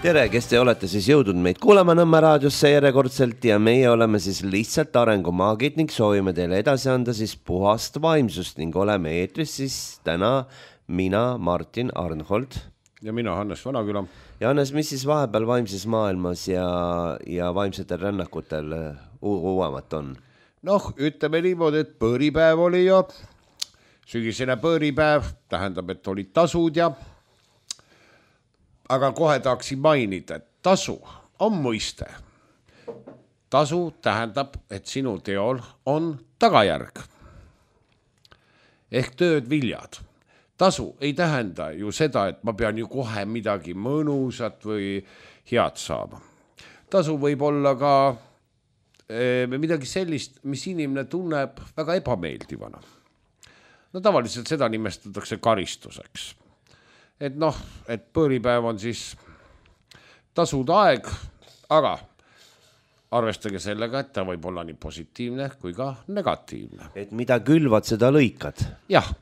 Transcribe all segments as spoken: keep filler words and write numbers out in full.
Tere, kes te olete siis jõudnud meid kuulama Nõmme raadiosse järjekordselt ja meie oleme siis lihtsalt arengumaagid ning soovime teile edasi anda siis puhast vaimsust ning oleme eetris siis täna mina, Martin Arnhold. Ja mina, Hannes Vanaküla. Ja Hannes, mis siis vahepeal vaimses maailmas ja, ja vaimsetel rännakutel uuemat on? Noh, ütleme niimoodi, et põõripäev oli ja sügisene põõripäev, tähendab, et olid tasud ja aga kohe tahaksin mainida, et tasu on mõiste. Tasu tähendab, et sinu teol on tagajärg. Ehk tööd viljad. Tasu ei tähenda ju seda, et ma pean ju kohe midagi mõnusat või head saama. Tasu võib olla ka eh, midagi sellist, mis inimene tunneb väga ebameeldivana. No tavaliselt seda nimestatakse karistuseks. Et noh, et põõripäev on siis tasud aeg, aga arvestage sellega, et ta võib olla nii positiivne kui ka negatiivne. Et mida külvad, seda lõikad. Jah.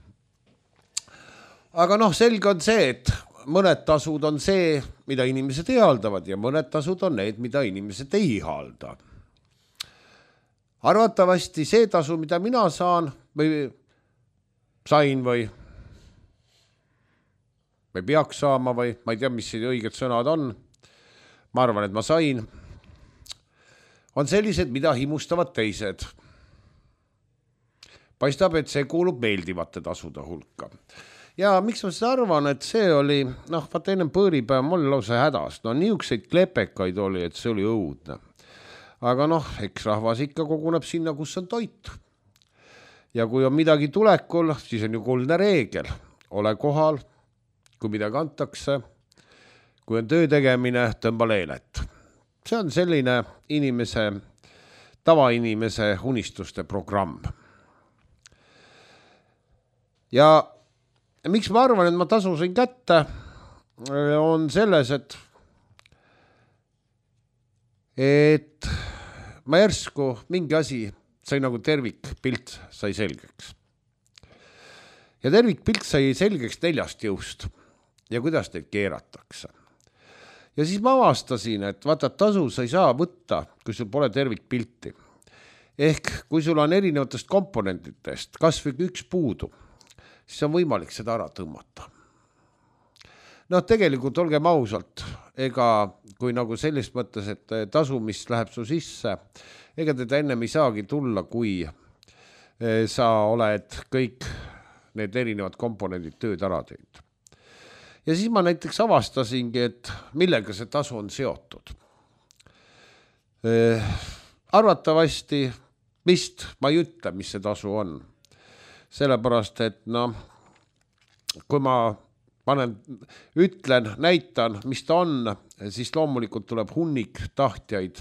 Aga noh, selge on see, et mõned tasud on see, mida inimesed ihaldavad ja mõned tasud on need, mida inimesed ei ihalda. Arvatavasti see tasu, mida mina saan või sain või või peaks saama või ma ei tea, mis õiged sõnad on. Ma arvan, et ma sain. On sellised, mida himustavad teised. Paistab, et see kuulub meeldivate tasude hulka. Ja miks ma seda arvan, et see oli, noh, vaata ennem põõripäev mul lausa hädas. No niisuguseid klepekaid oli, et see oli õudne. Aga noh, eks rahvas ikka koguneb sinna, kus on toit. Ja kui on midagi tulekul, siis on ju kuldne reegel. Ole kohal. Kui midagi antakse, kui on töö tegemine, tõmba leelet. See on selline inimese, tavainimese unistuste programm. Ja miks ma arvan, et ma tasusin kätte, on selles, et, et ma järsku mingi asi sai nagu tervikpilt sai selgeks. Ja tervikpilt sai selgeks neljast jõust. Ja kuidas teid keeratakse. Ja siis ma avastasin, et vaata, tasu sa ei saa võtta, kui sul pole tervikpilti. Ehk kui sul on erinevatest komponentitest, kas või üks puudu, siis on võimalik seda ära tõmmata. No tegelikult olgem ausalt, ega kui nagu selles mõttes, et tasu, mis läheb su sisse, ega teda ennem ei saagi tulla, kui sa oled kõik need erinevad komponendid tööd ära teinud. Ja siis ma näiteks avastasingi, et millega see tasu on seotud. Eh, arvatavasti vist ma ei ütle, mis see tasu on. Sellepärast, et no, kui ma panen, ütlen, näitan, mis ta on, siis loomulikult tuleb hunnik tahtjaid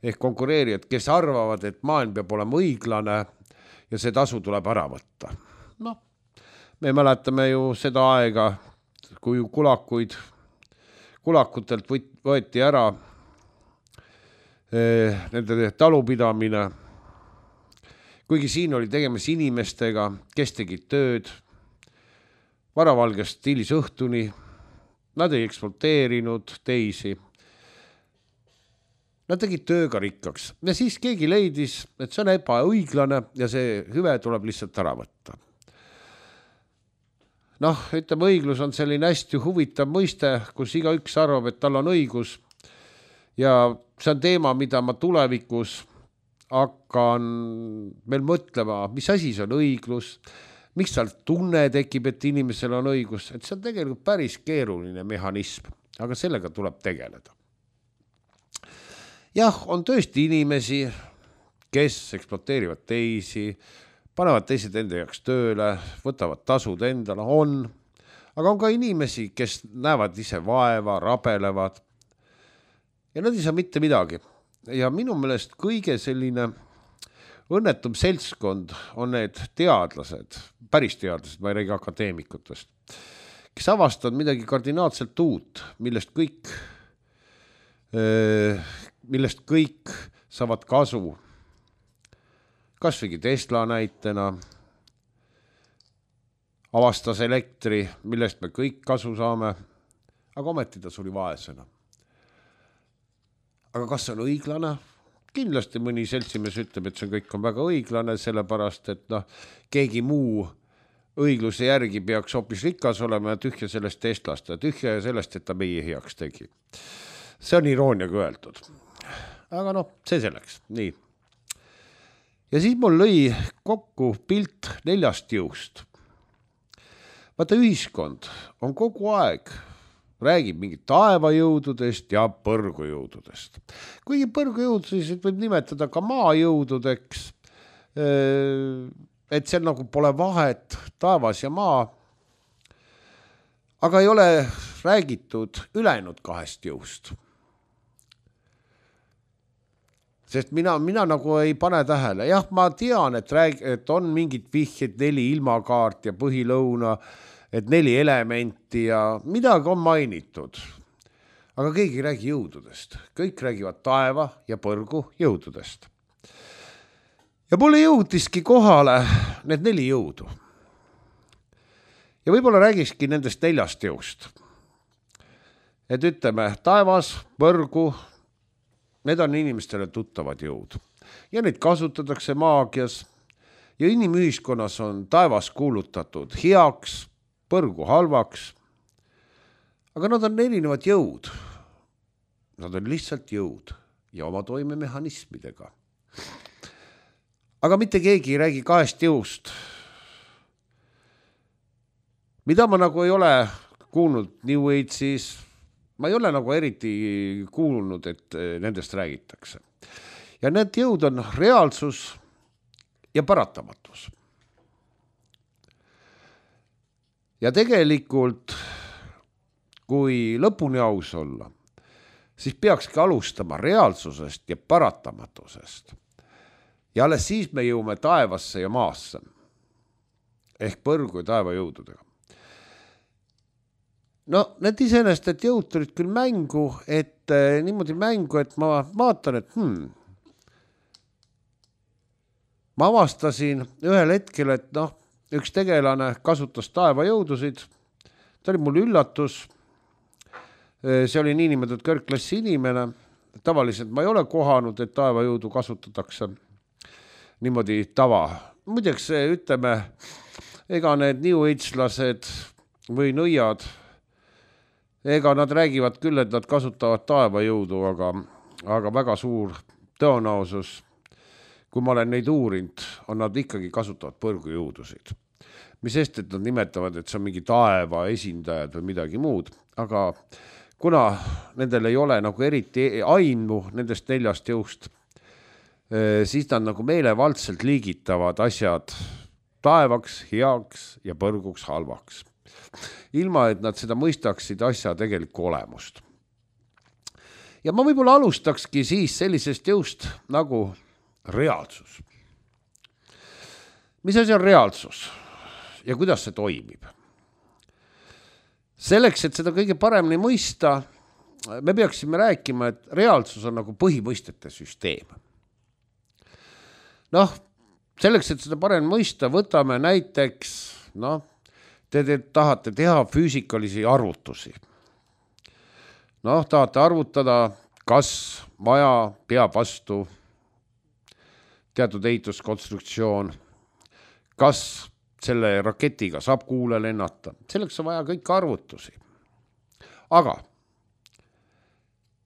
ehk konkureerijad, kes arvavad, et maailm peab olema õiglane ja see tasu tuleb ära võtta. No, me mäletame ju seda aega, kui kulakuid, kulakutelt võeti ära eh, nende talupidamine. Kuigi siin oli tegemas inimestega, kes tegid tööd, varavalgest stiilis õhtuni, nad ei ekspluateerinud teisi. Nad tegid tööga rikkaks ja siis keegi leidis, et see on ebaõiglane ja see hüve tuleb lihtsalt ära võtta. Noh, ütleme, õiglus on selline hästi huvitav mõiste, kus iga üks arvab, et tal on õigus ja see on teema, mida ma tulevikus hakkan meil mõtlema, mis asi see on õiglus, miks tal tunne tekib, et inimesel on õigus, et see on tegelikult päris keeruline mehhanism, aga sellega tuleb tegeleda. Jah, on tõesti inimesi, kes ekspluateerivad teisi, panevad teised enda jaoks tööle, võtavad tasud endale, on. Aga on ka inimesi, kes näevad ise vaeva, rabelevad ja nad ei saa mitte midagi. Ja minu meelest kõige selline õnnetum seltskond on need teadlased, päris teadlased, ma ei räägi akadeemikutest, kes avastavad midagi kardinaalselt uut, millest kõik, millest kõik saavad kasu. Kas või Tesla näitena avastas elektri, millest me kõik kasu saame, aga ometi ta suri vaesena. aga kas see on õiglane? Kindlasti mõni seltsimees ütleb, et see kõik on väga õiglane, sellepärast, et noh, keegi muu õigluse järgi peaks hoopis rikas olema ja tühja sellest eestlast ja tühja sellest, et ta meie heaks tegi. See on irooniaga öeldud. Aga noh, see selleks. Nii. Ja siis mul lõi kokku pilt neljast jõust. Vaata, ühiskond on kogu aeg räägib mingit taevajõududest ja põrgujõududest. Kuigi põrgujõudusid võib nimetada ka maajõududeks, et seal nagu pole vahet taevas ja maa, aga ei ole räägitud ülejäänud kahest jõust. Sest mina, mina nagu ei pane tähele. Jah, ma tean, et, rääg, et on mingid vihjed, neli ilmakaart ja põhilõuna, et neli elementi ja midagi on mainitud. Aga keegi ei räägi jõududest. Kõik räägivad taeva ja põrgu jõududest. Ja mulle jõudiski kohale need neli jõudu. Ja võib-olla räägiski nendest neljast jõust. Et ütleme, taevas, põrgu, need on inimestele tuttavad jõud. Ja neid kasutatakse maagias. Ja inimühiskonnas on taevas kuulutatud heaks, põrgu halvaks. Aga nad on erinevad jõud. Nad on lihtsalt jõud ja oma toimemehhanismidega. Aga mitte keegi ei räägi kahest jõust. Mida ma nagu ei ole kuulnud New Age'is, ma ei ole nagu eriti kuulnud, et nendest räägitakse. Ja need jõud on reaalsus ja paratamatus. Ja tegelikult, kui lõpuni aus olla, siis peakski alustama reaalsusest ja paratamatusest. Ja alles siis me jõume taevasse ja maasse, ehk põrgu ja taeva jõududega. No, need iseenest, et jõud tulid küll mängu, et eh, niimoodi mängu, et ma vaatan, et hmm, ma avastasin ühel hetkel, et noh, üks tegelane kasutas taeva jõudusid, ta oli mul üllatus, see oli niinimetatud kõrgklassi inimene, tavaliselt ma ei ole kohanud, et taeva jõudu kasutatakse niimoodi tava. Muideks, ütleme, ega need New Age-lased või nõiad, ega nad räägivad küll, et nad kasutavad taeva jõudu, aga, aga väga suur tõenäosus, kui ma olen neid uurinud, on nad ikkagi kasutavad põrgujõudusid. Mis sest, et nad nimetavad, et see on mingi taeva esindajad või midagi muud, aga kuna nendel ei ole nagu eriti aimu nendest neljast jõust, siis nad nagu meelevaldselt liigitavad asjad taevaks, heaks ja põrguks halvaks. Ilma, et nad seda mõistaksid asja tegelikku olemust. Ja ma võib-olla alustakski siis sellisest jõust nagu reaalsus. Mis asi on reaalsus ja kuidas see toimib? Selleks, et seda kõige paremini mõista, me peaksime rääkima, et reaalsus on nagu põhimõistete süsteem. Noh, selleks, et seda paremini mõista, võtame näiteks, noh, te, te tahate teha füüsikalisi arvutusi. Noh, tahate arvutada, kas maja peab vastu teatud ehituskonstruktsioon, kas selle raketiga saab kuule lennata. Selleks on vaja kõik arvutusi. Aga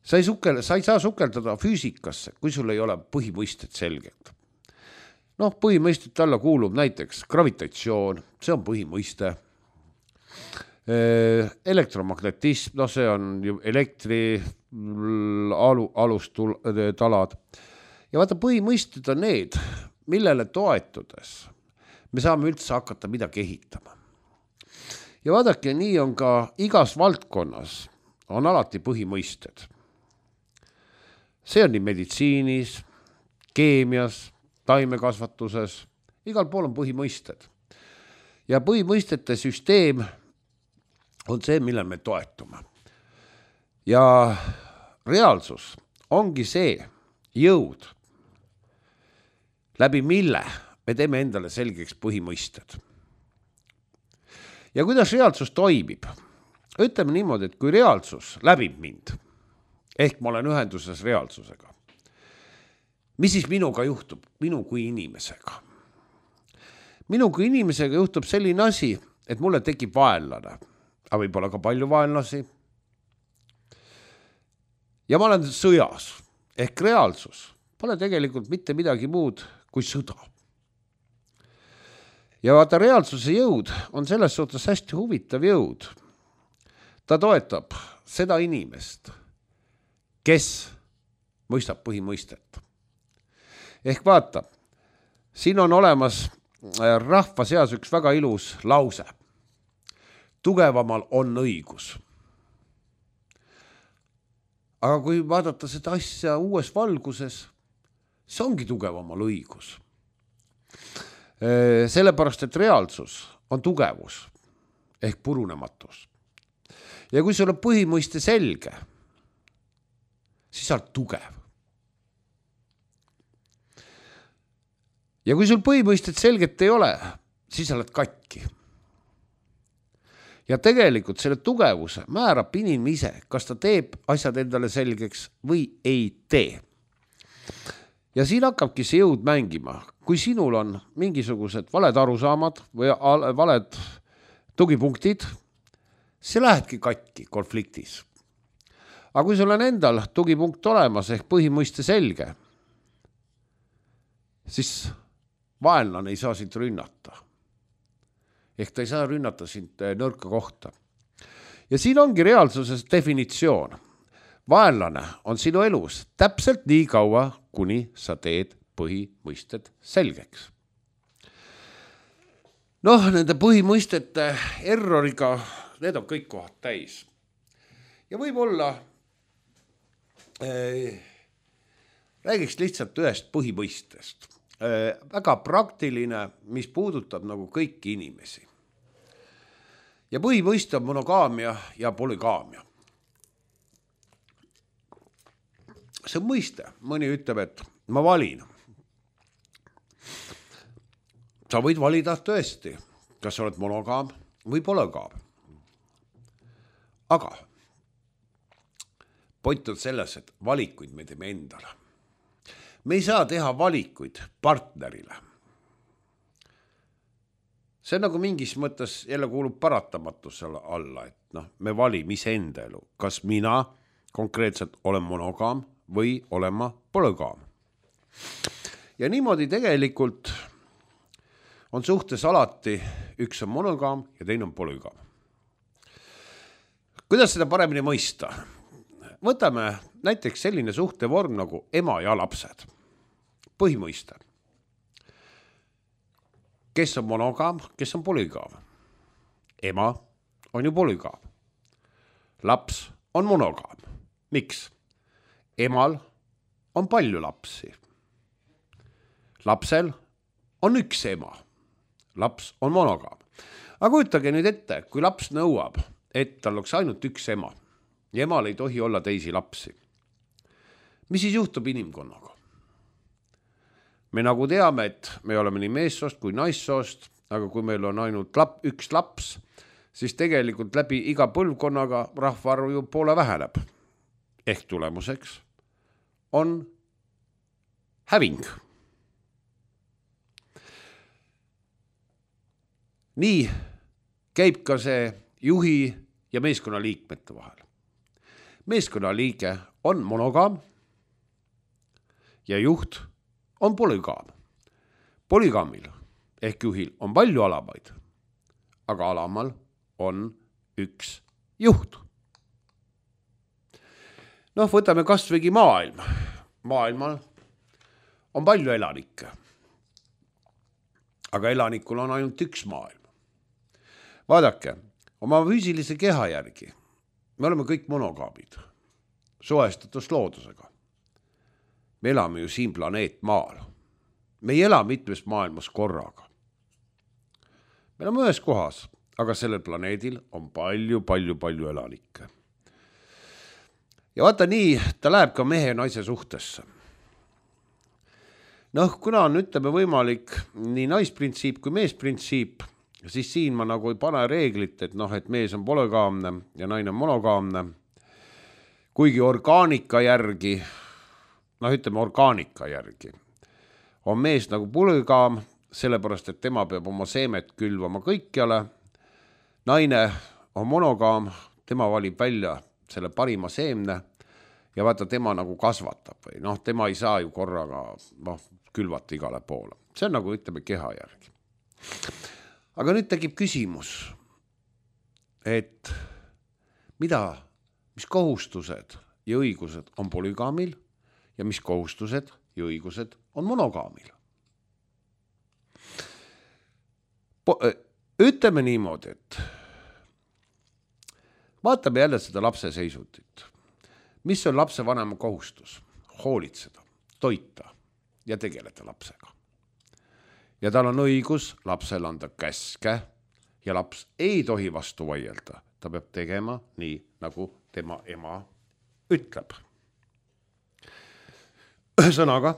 sa ei, sukel, sa ei saa sukeldada füüsikasse, kui sul ei ole põhimõisted selgelt. Noh, põhimõistet alla kuulub näiteks gravitatsioon, see on põhimõiste. Elektromagnetism, no see on ju elektri alu, alustalad. Ja vaata, põhimõisted on need, millele toetudes me saame üldse hakata midagi ehitama. Ja vaadake, nii on ka igas valdkonnas on alati põhimõisted. See on nii meditsiinis, keemias, taimekasvatuses, igal pool on põhimõisted. Ja põhimõistete süsteem on see, millel me toetume. Ja reaalsus ongi see jõud, läbi mille me teeme endale selgeks põhimõisted. Ja kuidas reaalsus toimib? Ütleme niimoodi, et kui reaalsus läbib mind, ehk ma olen ühenduses reaalsusega. Mis siis minuga juhtub? Minu kui inimesega. Minu kui inimesega juhtub selline asi, et mulle tekib vaenlane, aga võib-olla ka palju vaenlasi. Ja ma olen sõjas, ehk reaalsus pole tegelikult mitte midagi muud kui sõda. Ja vaata, reaalsuse jõud on selles suhtes hästi huvitav jõud. Ta toetab seda inimest, kes mõistab põhimõistet. Ehk vaata, siin on olemas rahva seas üks väga ilus lause. Tugevamal on õigus. Aga kui vaadata seda asja uues valguses, see ongi tugevamal õigus. Sellepärast, et reaalsus on tugevus ehk purunematus. Ja kui sul on põhimõiste selge, siis sa oled tugev. Ja kui sul põhimõisted selget ei ole, siis sa oled katki. Ja tegelikult selle tugevuse määrab inimene ise, kas ta teeb asjad endale selgeks või ei tee. Ja siin hakkabki see jõud mängima. Kui sinul on mingisugused valed arusaamad või valed tugipunktid, see lähebki katki konfliktis. Aga kui sul on endal tugipunkt olemas ehk põhimõiste selge, siis vaenlane ei saa sind rünnata. Ehk ta ei saa rünnata sind nõrka kohta. Ja siin ongi reaalsuses definitsioon. Vaenlane on sinu elus täpselt nii kaua, kuni sa teed põhimõisted selgeks. Noh, nende põhimõistete erroriga, need on kõik kohad täis. Ja võib-olla äh, räägiks lihtsalt ühest põhimõistest. Äh, väga praktiline, mis puudutab nagu kõiki inimesi. Ja põhimõiste on monogaamia ja polygaamia. See on mõiste. Mõni ütleb, et ma valin. Sa võid valida tõesti, kas sa oled monogaam või polygaam. Aga point on selles, et valikuid me teeme endale. Me ei saa teha valikuid partnerile. See on nagu mingis mõttes jälle kuulub paratamatusele alla, et noh, me valime iseenda elu. Kas mina konkreetselt olen monogaam või olen ma polygaam. Ja niimoodi tegelikult on suhtes alati üks on monogaam ja teine on polygaam. Kuidas seda paremini mõista? Võtame näiteks selline suhtevorm nagu ema ja lapsed. Põhimõiste. Kes on monogaam, kes on polygaam? Ema on ju polygaam. Laps on monogaam. Miks? Emal on palju lapsi. Lapsel on üks ema. Laps on monogaam. Aga kujutage nüüd ette, kui laps nõuab, et tal oleks ainult üks ema ja emal ei tohi olla teisi lapsi. Mis siis juhtub inimkonnaga? Me nagu teame, et me oleme nii meessoost kui naissoost, aga kui meil on ainult lap, üks laps, siis tegelikult läbi iga põlvkonnaga rahvaarv ju poole väheneb. Ehk tulemuseks on häving. Nii käib ka see juhi ja meeskonnaliikmete vahel. Meeskonnaliige on monogaam ja juht on polygaam. Polygaamil ehk juhil on palju alamaid, aga alamal on üks juht. Noh, võtame kasvõigi maailm. Maailmal on palju elanikke, aga elanikul on ainult üks maailm. Vaadake, oma füüsilise keha järgi me oleme kõik monogaamid, suhestatus loodusega. Me elame ju siin planeet maal. Me ei ela mitmes maailmas korraga. Me oleme ühes kohas, aga sellel planeedil on palju, palju, palju elanikke. Ja vaata nii, ta läheb ka mehe ja naise suhtesse. Noh, kuna on ütleme võimalik nii naisprintsiip kui meesprintsiip, siis siin ma nagu ei pane reeglit, et noh, et mees on polygaamne ja naine on monogaamne. kuigi orgaanika järgi, noh ütleme orgaanika järgi, on mees nagu polügaam, sellepärast, et tema peab oma seemet külvama kõikjale. Naine on monogaam, tema valib välja selle parima seemne ja vaata, tema nagu kasvatab või noh, tema ei saa ju korraga noh, külvata igale poole. See on nagu ütleme keha järgi. Aga nüüd tekib küsimus, et mida, mis kohustused ja õigused on polügaamil ja mis kohustused ja õigused on monogaamil. Po- ütleme niimoodi, et vaatame jälle seda lapse seisundit. Mis on lapse vanema kohustus? Hoolitseda, toita ja tegeleda lapsega. Ja tal on õigus lapsel anda käske ja laps ei tohi vastu vaielda. Ta peab tegema nii, nagu tema ema ütleb. Ühesõnaga,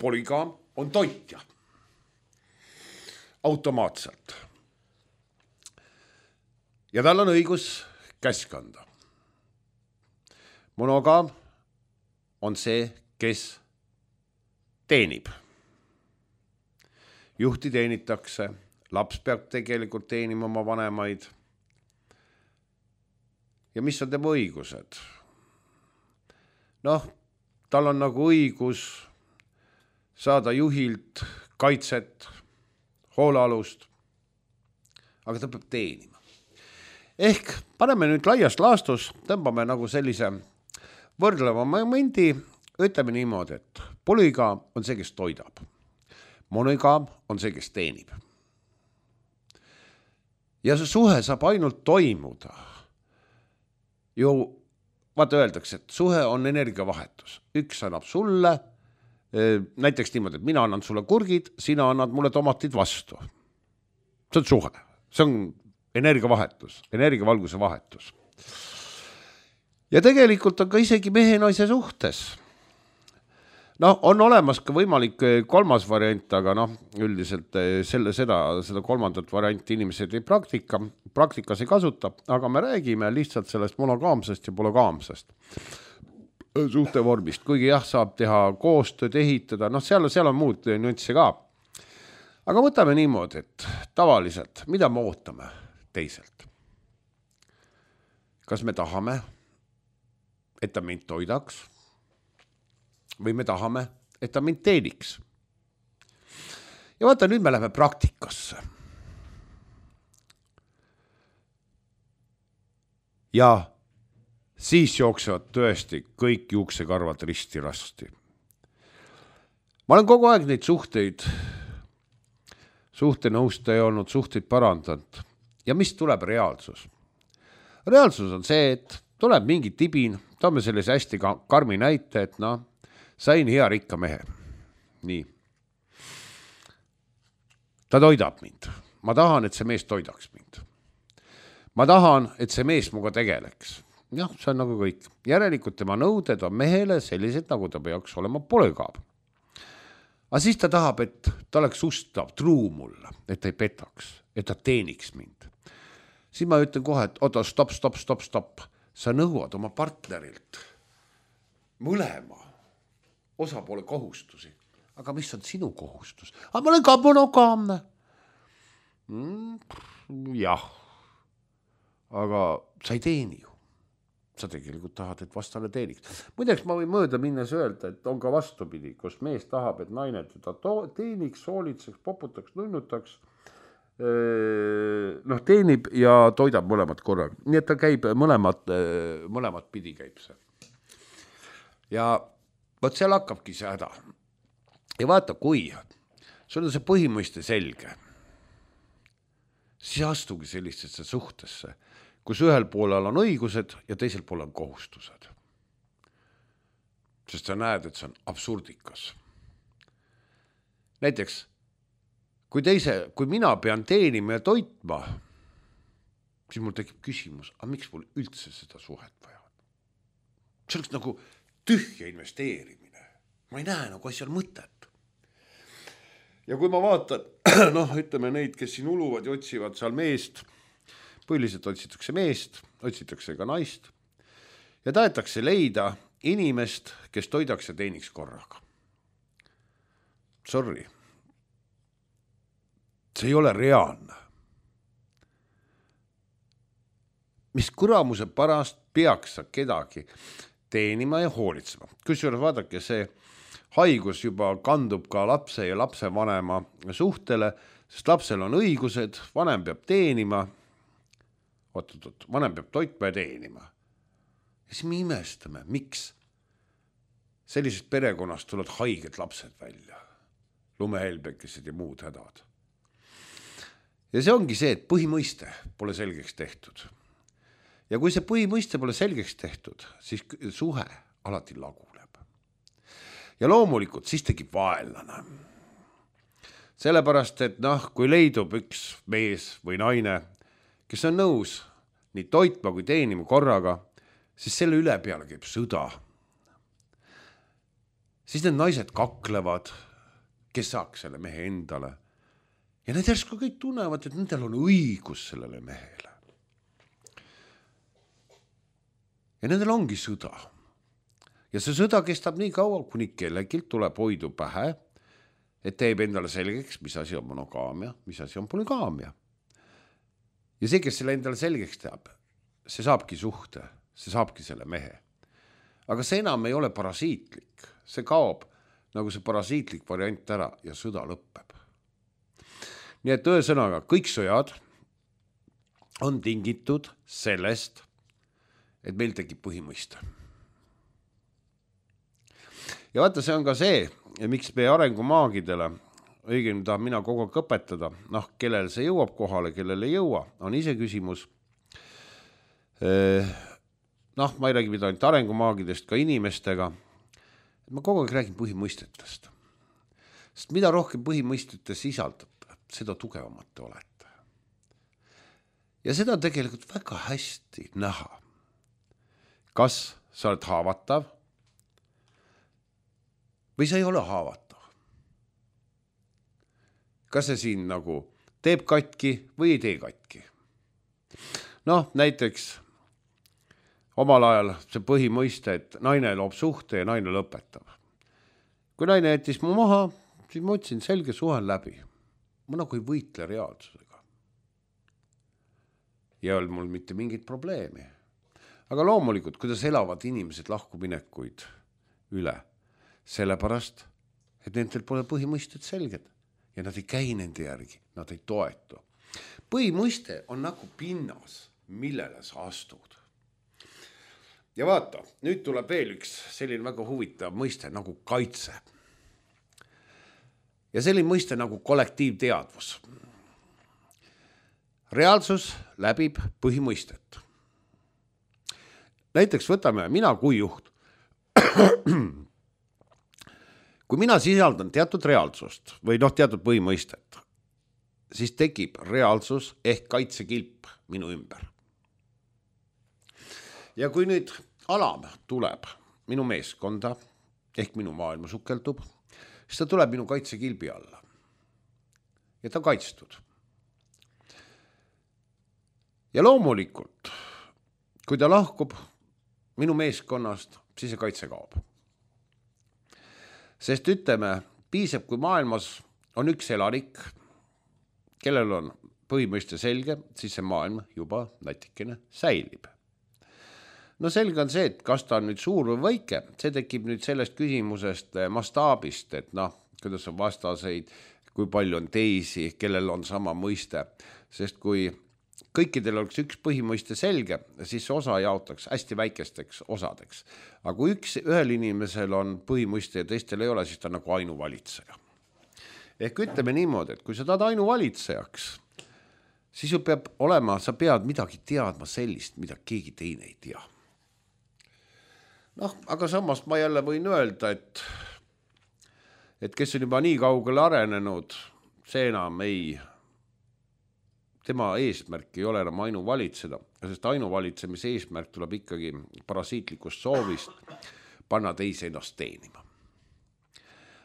polügaam on toitja. Automaatselt. Ja tal on õigus käsk anda. Monogaam on see, kes teenib. Juhti teenitakse, laps peab tegelikult teenima oma vanemaid. Ja mis on tema õigused? Noh, tal on nagu õigus saada juhilt kaitset, hoolealust, aga ta peab teenima. Ehk paneme nüüd laiast laastus, tõmbame nagu sellise võrdleva momendi, ütleme niimoodi, et polügaam on see, kes toidab. Monogaam on see, kes teenib. Ja see suhe saab ainult toimuda. Ju, vaata öeldakse, et suhe on energiavahetus. Üks annab sulle, näiteks niimoodi, et mina annan sulle kurgid, sina annad mulle tomatid vastu. See on suhe. See on energiavahetus, energiavalguse vahetus. Ja tegelikult on ka isegi mehe naise suhtes. No, on olemas ka võimalik kolmas variant, aga noh, üldiselt selle, seda, seda kolmandat varianti inimesed ei praktika, praktikas ei kasuta, aga me räägime lihtsalt sellest monogaamsest ja polügaamsest suhtevormist, kuigi jah, saab teha koostööd, ehitada, noh, seal, seal on muud nüansse ka. Aga võtame niimoodi, et tavaliselt, mida me ootame teiselt? Kas me tahame, et ta mind toidaks? Või me tahame, et ta mind teeniks. Ja vaata, nüüd me läheme praktikasse. Ja siis jooksevad tõesti kõik juuksekarvad risti rasti. Ma olen kogu aeg neid suhteid, suhtenõustaja olnud, suhteid parandanud. Ja mis tuleb reaalsus? Reaalsus on see, et tuleb mingi tibin, toome sellise hästi karmi näite, et noh, sain hea rikka mehe. Nii. Ta toidab mind. Ma tahan, et see mees toidaks mind. Ma tahan, et see mees muga tegeleks. Jah, see on nagu kõik. Järelikult tema nõuded on mehele sellised, nagu ta peaks olema polügaam. Aga siis ta tahab, et ta oleks ustav, truu mulle, et ta ei petaks, et ta teeniks mind. Siis ma ütlen kohe, et oota, stop, stop, stop, stop. Sa nõuad oma partnerilt mõlema osapoole kohustusi. Aga mis on sinu kohustus? Aga ma olen ka monogaamne. Mm, jah. Aga sa ei teeni ju. Sa tegelikult tahad, et vastane teeniks. Muideks ma võin mööda minnes öelda, et on ka vastupidi, kus mees tahab, et naine teda teeniks, soolitseks, poputaks, nunnutaks, noh, teenib ja toidab mõlemad korraga. Nii et ta käib mõlemad, mõlemad pidi käib see. Ja võt seal hakkabki see häda. Ja vaata, kui sul on see põhimõiste selge, siis astugi sellistesse suhtesse, kus ühel poolel on õigused ja teisel pool on kohustused. Sest sa näed, et see on absurdikas. Näiteks, kui, teise, kui mina pean teenima ja toitma, siis mul tekib küsimus, aga miks mul üldse seda suhet vaja? See oleks nagu tühja investeerimine. Ma ei näe nagu asjal mõtet. Ja kui ma vaatan, noh, ütleme neid, kes siin uluvad ja otsivad seal meest, põhiliselt otsitakse meest, otsitakse ka naist. ja tahetakse leida inimest, kes toidaks ja teeniks korraga. Sorry. See ei ole reaalne. Mis kuramuse pärast peaks sa kedagi teenima ja hoolitsema. Kusjuures vaadake, see haigus juba kandub ka lapse ja lapsevanema suhtele, sest lapsel on õigused, vanem peab teenima, oot, oot, oot, vanem peab toitma ja teenima. Ja siis me imestame, miks sellisest perekonnast tulevad haiged lapsed välja, lumehelbekesed ja muud hädad. Ja see ongi see, et põhimõiste pole selgeks tehtud. Ja kui see põhimõiste pole selgeks tehtud, siis suhe alati laguneb. Ja loomulikult siis tekib vaenlane. Sellepärast, et noh, kui leidub üks mees või naine, kes on nõus nii toitma kui teenima korraga, siis selle üle peale käib sõda. Siis need naised kaklevad, kes saaks selle mehe endale. Ja need järsku kõik tunnevad, et nendel on õigus sellele mehele. Ja nendel ongi sõda. Ja see sõda kestab nii kaua, kuni kellegilt tuleb hoidu pähe, et teeb endale selgeks, mis asi on monogaamia, mis asi on polygaamia. Ja see, kes selle endale selgeks teab, see saabki suhte, see saabki selle mehe. Aga see enam ei ole parasiitlik. See kaob nagu see parasiitlik variant ära ja sõda lõppeb. Nii et ühesõnaga, kõik sõjad on tingitud sellest, et meil tekib põhimõiste. Ja vaata, see on ka see, miks meie arengumaagidele, õigemini tahan mina kogu aeg õpetada, noh, kellel see jõuab kohale, kellel ei jõua, on ise küsimus. Noh, ma ei räägi mida ainult arengumaagidest, ka inimestega. Ma kogu aeg räägin põhimõistetest. Sest mida rohkem põhimõistete sisaldab, seda tugevamat te olete. Ja seda on tegelikult väga hästi näha. Kas sa oled haavatav või sa ei ole haavatav? Kas see siin nagu teeb katki või ei tee katki? Noh, näiteks omal ajal see põhimõiste, et naine loob suhte ja naine lõpetab. Kui naine jättis mu maha, siis ma ütlesin, selge suhe läbi. Ma nagu ei võitle reaalsusega. Ja ei olnud mul mitte mingit probleemi. Aga loomulikult, kuidas elavad inimesed lahkuminekuid üle, sellepärast, et nendel pole põhimõisted selged ja nad ei käi nende järgi, nad ei toetu. Põhimõiste on nagu pinnas, millele sa astud. Ja vaata, nüüd tuleb veel üks selline väga huvitav mõiste nagu kaitse. Ja selline mõiste nagu kollektiivteadvus. Reaalsus läbib põhimõistet. Näiteks võtame mina kui juht. Kui mina sisaldan teatud reaalsust või noh, teatud põhimõistet, siis tekib reaalsus ehk kaitsekilp minu ümber. Ja kui nüüd alam tuleb minu meeskonda ehk minu maailma sukeldub, siis ta tuleb minu kaitsekilbi alla. Ja ta kaitstud. Ja loomulikult, kui ta lahkub minu meeskonnast, siis see kaitse kaob. Sest ütleme, piisab, kui maailmas on üks elanik, kellel on põhimõiste selge, siis see maailm juba natikene säilib. No selge on see, et kas ta on nüüd suur või väike, see tekib nüüd sellest küsimusest mastaabist, et noh, kuidas on vastaseid, kui palju on teisi, kellel on sama mõiste, sest kui kõikidel oleks üks põhimõiste selge, siis see osa jaotaks hästi väikesteks osadeks. Aga kui üks, ühel inimesel on põhimõiste ja teistel ei ole, siis ta on nagu ainuvalitseja. Ehk ütleme niimoodi, et kui sa tahad ainuvalitsejaks, siis ju peab olema, sa pead midagi teadma sellist, mida keegi teine ei tea. Noh, aga samas ma jälle võin öelda, et, et kes on juba nii kaugele arenenud, see enam ei... tema eesmärk ei ole enam ainuvalitseda, sest ainuvalitsemise eesmärk tuleb ikkagi parasiitlikust soovist panna teise ennast teenima.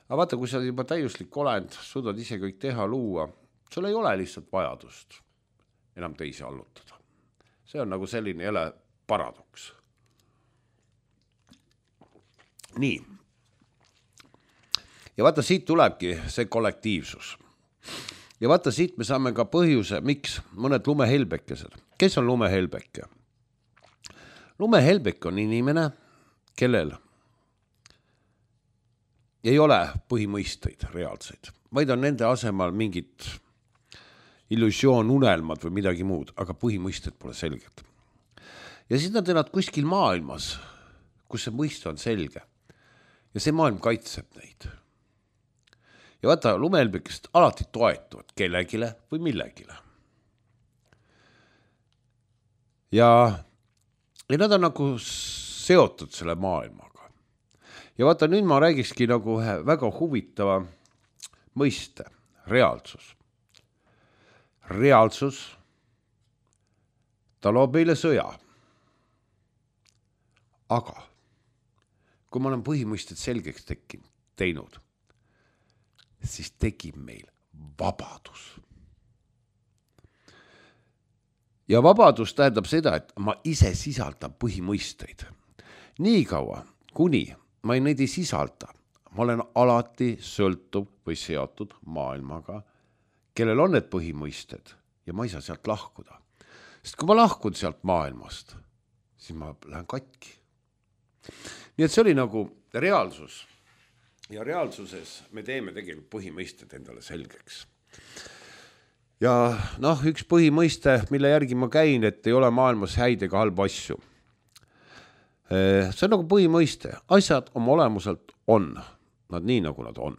Aga vaata, kui sa juba täiuslik olend, suudad ise kõik teha, luua, sul ei ole lihtsalt vajadust enam teisi allutada. See on nagu selline jälle paradoks. nii. Ja vaata, siit tulebki see kollektiivsus. Ja vaata, siit me saame ka põhjuse, miks mõned lumehelbekesed. Kes on lumehelbeke? Lumehelbek on inimene, kellel ei ole põhimõisteid reaalseid, vaid on nende asemal mingid illusioon, unelmad või midagi muud, aga põhimõisted pole selged. Ja siis nad elavad kuskil maailmas, kus see mõiste on selge. Ja see maailm kaitseb neid. Ja vaata, lumehelbekesed alati toetuvad kellegile või millegile. Ja, ja nad on nagu seotud selle maailmaga. Ja vaata, nüüd ma räägikski nagu väga huvitava mõiste, reaalsus. Reaalsus, ta loob meile sõja. Aga kui ma olen põhimõisted selgeks tekkinud, teinud, siis tekib meil vabadus. Ja vabadus tähendab seda, et ma ise sisaldan põhimõisteid. Nii kaua, kuni ma neid ei sisalda, ma olen alati sõltuv või seotud maailmaga, kellel on need põhimõisted ja ma ei saa sealt lahkuda. Sest kui ma lahkun sealt maailmast, siis ma lähen katki. Nii et see oli nagu reaalsus. Ja reaalsuses me teeme tegelikult põhimõisted endale selgeks. Ja noh, üks põhimõiste, mille järgi ma käin, et ei ole maailmas häid ega halba asju. See on nagu põhimõiste. Asjad oma olemuselt on. Nad nii, nagu nad on.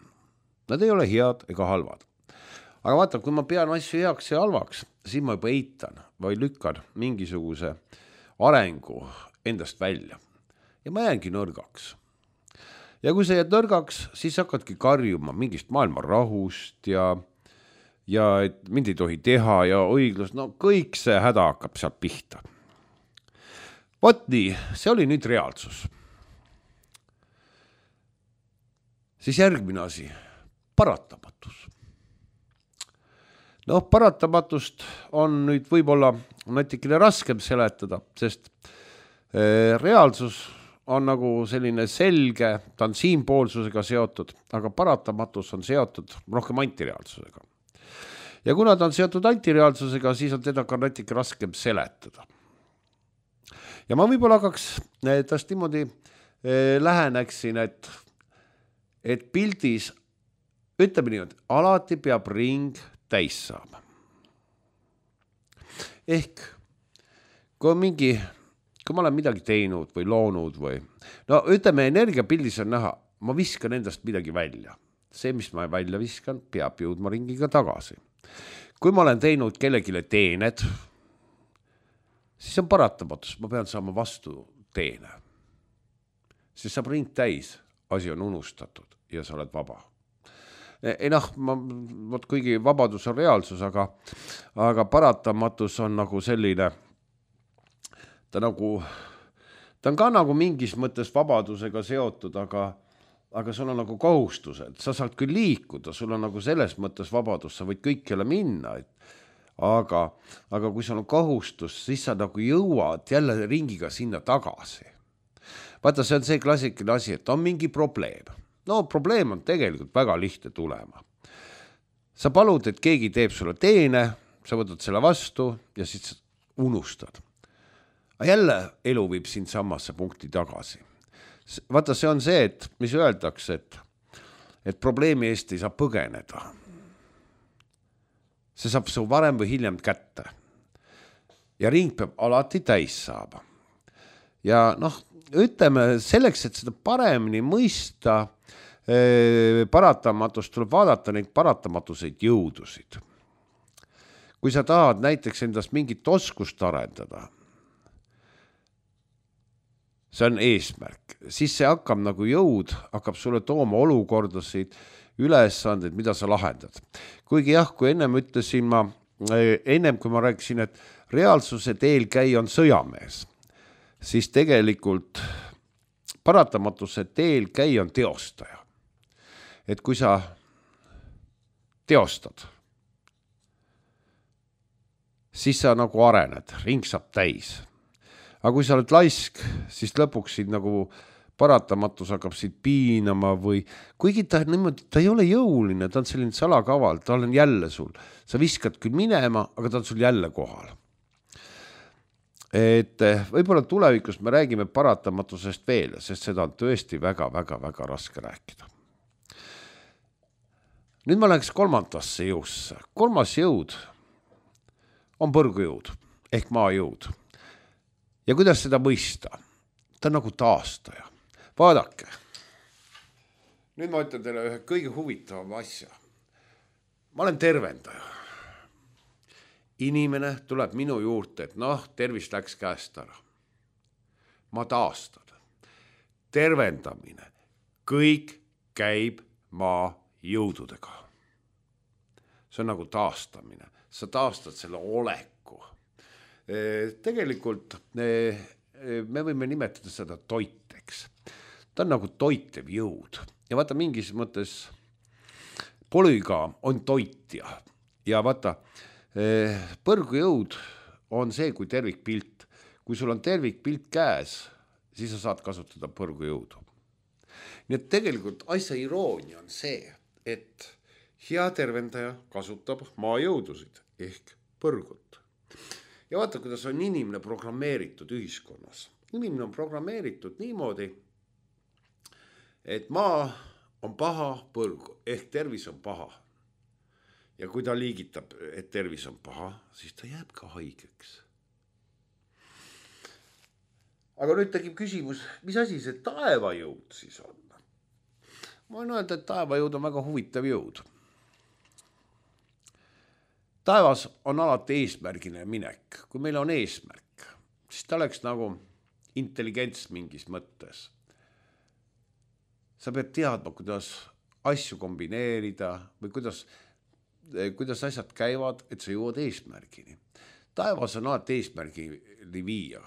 Nad ei ole head ega halvad. Aga vaata, kui ma pean asju heaks ja halvaks, siis ma juba eitan või lükkan mingisuguse arengu endast välja. Ja ma jäängi nõrgaks. Ja kui sa jääd nõrgaks, siis hakkadki karjuma mingist maailma rahust ja, ja et mind ei tohi teha ja õiglus, no kõik see häda hakkab sealt pihta. Vot nii, see oli nüüd reaalsus. Siis järgmine asi, paratamatus. Noh, paratamatust on nüüd võib-olla natikene raskem seletada, sest reaalsus on nagu selline selge, ta on siinpoolsusega seotud, aga paratamatus on seotud rohkem antireaalsusega. Ja kuna ta on seotud antireaalsusega, siis on teda ka natuke raskem seletada. Ja ma võib-olla hakkaks tast niimoodi läheneksin, et, et pildis, ütleme nii, et alati peab ring täis saama. Ehk kui on mingi kui ma olen midagi teinud või loonud või, no ütleme, energiapildis on näha, ma viskan endast midagi välja. See, mis ma välja viskan, peab jõudma ringiga tagasi. Kui ma olen teinud kellegile teened, siis on paratamatus, ma pean saama vastu teene. Siis saab ring täis, asi on unustatud ja sa oled vaba. Ei noh, ma, võt, kuigi vabadus on reaalsus, aga, aga paratamatus on nagu selline ta nagu, ta on ka nagu mingis mõttes vabadusega seotud, aga, aga sul on nagu kohustused. Sa saad küll liikuda, sul on nagu selles mõttes vabadus, sa võid kõikjale minna. Et, aga, aga kui sul on kohustus, siis sa nagu jõuad jälle ringiga sinna tagasi. Vaata, see on see klassikaline asi, et on mingi probleem. No probleem on tegelikult väga lihtne tulema. Sa palud, et keegi teeb sulle teene, sa võtad selle vastu ja siis unustad. Aga jälle elu viib sind samasse punkti tagasi. Vaata, see on see, et mis öeldakse, et, et probleemi eest ei saa põgeneda. See saab su varem või hiljem kätte. Ja ring peab alati täis saama. Ja noh, ütleme, selleks, et seda paremini mõista, eh, paratamatust tuleb vaadata neid paratamatuseid jõudusid. Kui sa tahad näiteks endast mingit oskust arendada, see on eesmärk, siis see hakkab nagu jõud, hakkab sulle tooma olukordasid, ülesandeid, mida sa lahendad. Kuigi jah, kui ennem ütlesin ma, ennem kui ma rääkisin, et reaalsuse teel käi on sõjamees, siis tegelikult paratamatuse teel käi on teostaja. Et kui sa teostad, siis sa nagu arened, ring saab täis. Aga kui sa oled laisk, siis lõpuks sind nagu paratamatus hakkab siit piinama või kuigi ta, niimoodi, ta ei ole jõuline, ta on selline salakaval, ta on jälle sul. Sa viskad küll minema, aga ta on sul jälle kohal. Et võib-olla tulevikus me räägime paratamatusest veel, sest seda on tõesti väga, väga, väga raske rääkida. Nüüd ma läheks kolmandasse jõusse. Kolmas jõud on põrgujõud ehk maajõud. Ja kuidas seda mõista? Ta on nagu taastaja. Vaadake. Nüüd ma ütlen teile ühe kõige huvitavam asja. Ma olen tervendaja. Inimene tuleb minu juurde, et noh, tervis läks käest ära. Ma taastan. Tervendamine. Kõik käib maa jõududega. See on nagu taastamine. Sa taastad selle oleku. Tegelikult me võime nimetada seda toiteks. Ta on nagu toitev jõud. Ja vaata, mingis mõttes polügaam on toitja. Ja vaata, põrgujõud on see kui tervikpilt. Kui sul on tervikpilt käes, siis sa saad kasutada põrgujõudu. Nii et tegelikult asja iroonia on see, et hea tervendaja kasutab maajõudusid ehk põrgut. Ja vaata, kuidas on inimene programmeeritud ühiskonnas. Inimene on programmeeritud niimoodi, et maa on paha põrgu, ehk tervis on paha. Ja kui ta liigitab, et tervis on paha, siis ta jääb ka haigeks. Aga nüüd tekib küsimus, mis asi see taevajõud siis on? Ma võin öelda, et taevajõud on väga huvitav jõud. Taevas on alati eesmärgine minek. Kui meil on eesmärk, siis ta oleks nagu intelligents mingis mõttes. Sa pead teadma, kuidas asju kombineerida või kuidas, kuidas asjad käivad, et sa jõuad eesmärgini. Taevas on alati eesmärgini viia.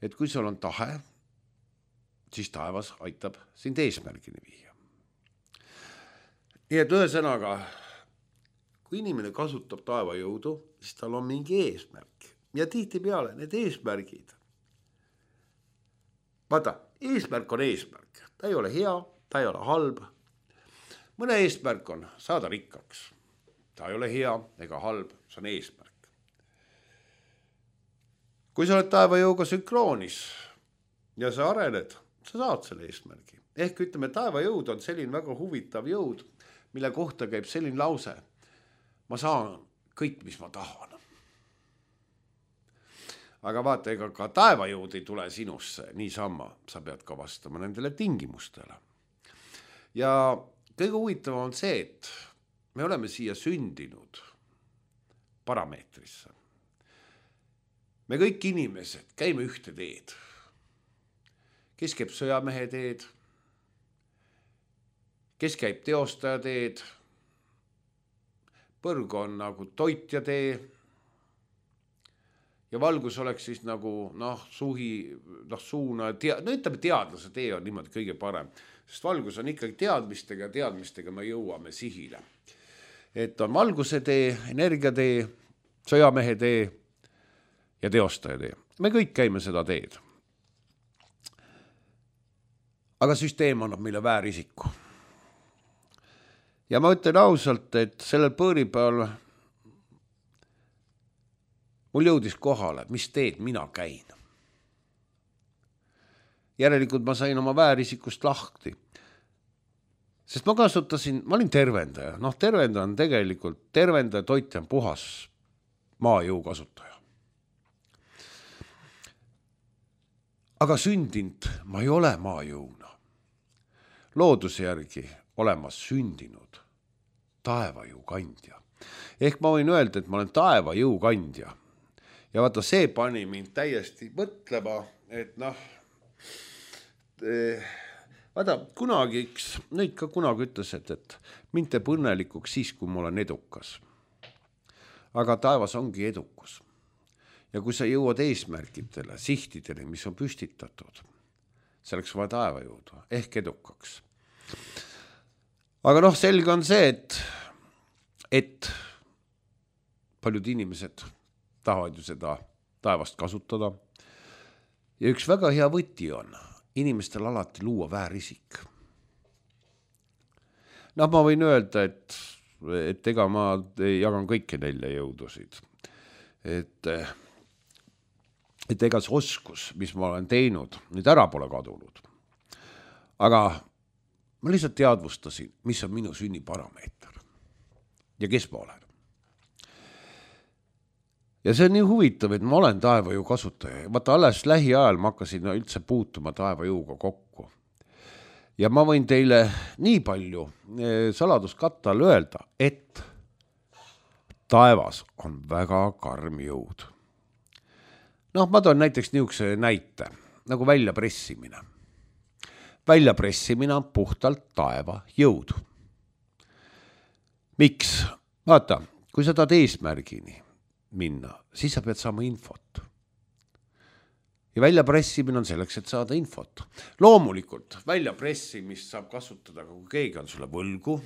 Et kui sul on tahe, siis taevas aitab sind eesmärgini viia. Nii et ühesõnaga, kui inimene kasutab taevajõudu, siis tal on mingi eesmärk. Ja tihti peale need eesmärgid. Vaata, eesmärk on eesmärk. Ta ei ole hea, ta ei ole halb. Mõne eesmärk on saada rikkaks. Ta ei ole hea ega halb, see on eesmärk. Kui sa oled taevajõuga sünkroonis ja sa arened, sa saad selle eesmärgi. Ehk ütleme, taevajõud on selline väga huvitav jõud, mille kohta käib selline lause. Ma saan kõik, mis ma tahan. Aga vaata, ega ka taevajõud ei tule sinusse niisama. Sa pead ka vastama nendele tingimustele. Ja kõige huvitav on see, et me oleme siia sündinud parameetrisse. Me kõik inimesed käime ühte teed. Kes käib sõjamehe teed, kes käib teostaja teed, põrg on nagu toitja tee ja valgus oleks siis nagu noh, suhi, noh, suuna, tea, no ütleme teadlase tee on niimoodi kõige parem, sest valgus on ikkagi teadmistega ja teadmistega me jõuame sihile. Et on valguse tee, energia tee, sõjamehe tee ja teostaja tee. Me kõik käime seda teed. Aga süsteem annab meile väärisiku. Ja ma ütlen ausalt, et sellel põõripäeval mul jõudis kohale, mis teed mina käin. Järelikult ma sain oma väärisikust lahti. Sest ma kasutasin, ma olin tervendaja. Noh, tervendaja on tegelikult, tervendaja toitja on puhas maajõu kasutaja. Aga sündinud ma ei ole maajõuna. Looduse järgi olema sündinud taevajõu kandja. Ehk ma võin öelda, et ma olen taevajõu kandja. Ja vaata, see pani mind täiesti mõtlema, et noh, vaata, kunagi üks, nüüd ka kunagi ütles, et, et mind teeb õnnelikuks siis, kui ma olen edukas. Aga taevas ongi edukus. Ja kui sa jõuad eesmärkidele, sihtidele, mis on püstitatud, selleks vaja taevajõudu, ehk edukaks. Aga noh, selge on see, et, et paljud inimesed tahavad ju seda taevast kasutada. Ja üks väga hea võti on, inimestel alati luua väärisik. Noh, ma võin öelda, et, et ega ma jagan kõiki nelja jõudusid. Et, et ega see oskus, mis ma olen teinud, nüüd ära pole kadunud. Aga ma lihtsalt teadvustasin, mis on minu sünniparameeter ja kes ma olen. Ja see on nii huvitav, et ma olen taevajõu kasutaja. Vaata, alles lähiajal ma hakkasin üldse puutuma taevajõuga kokku. Ja ma võin teile nii palju saladuskattal öelda, et taevas on väga karm jõud. Noh, ma toon näiteks niisuguse näite, nagu väljapressimine. Väljapressimine on puhtalt taeva jõud. Miks? Vaata, kui sa tahad eesmärgini minna, siis sa pead saama infot. Ja väljapressimine on selleks, et saada infot. Loomulikult, väljapressimist saab kasutada, kui keegi on sulle võlgu.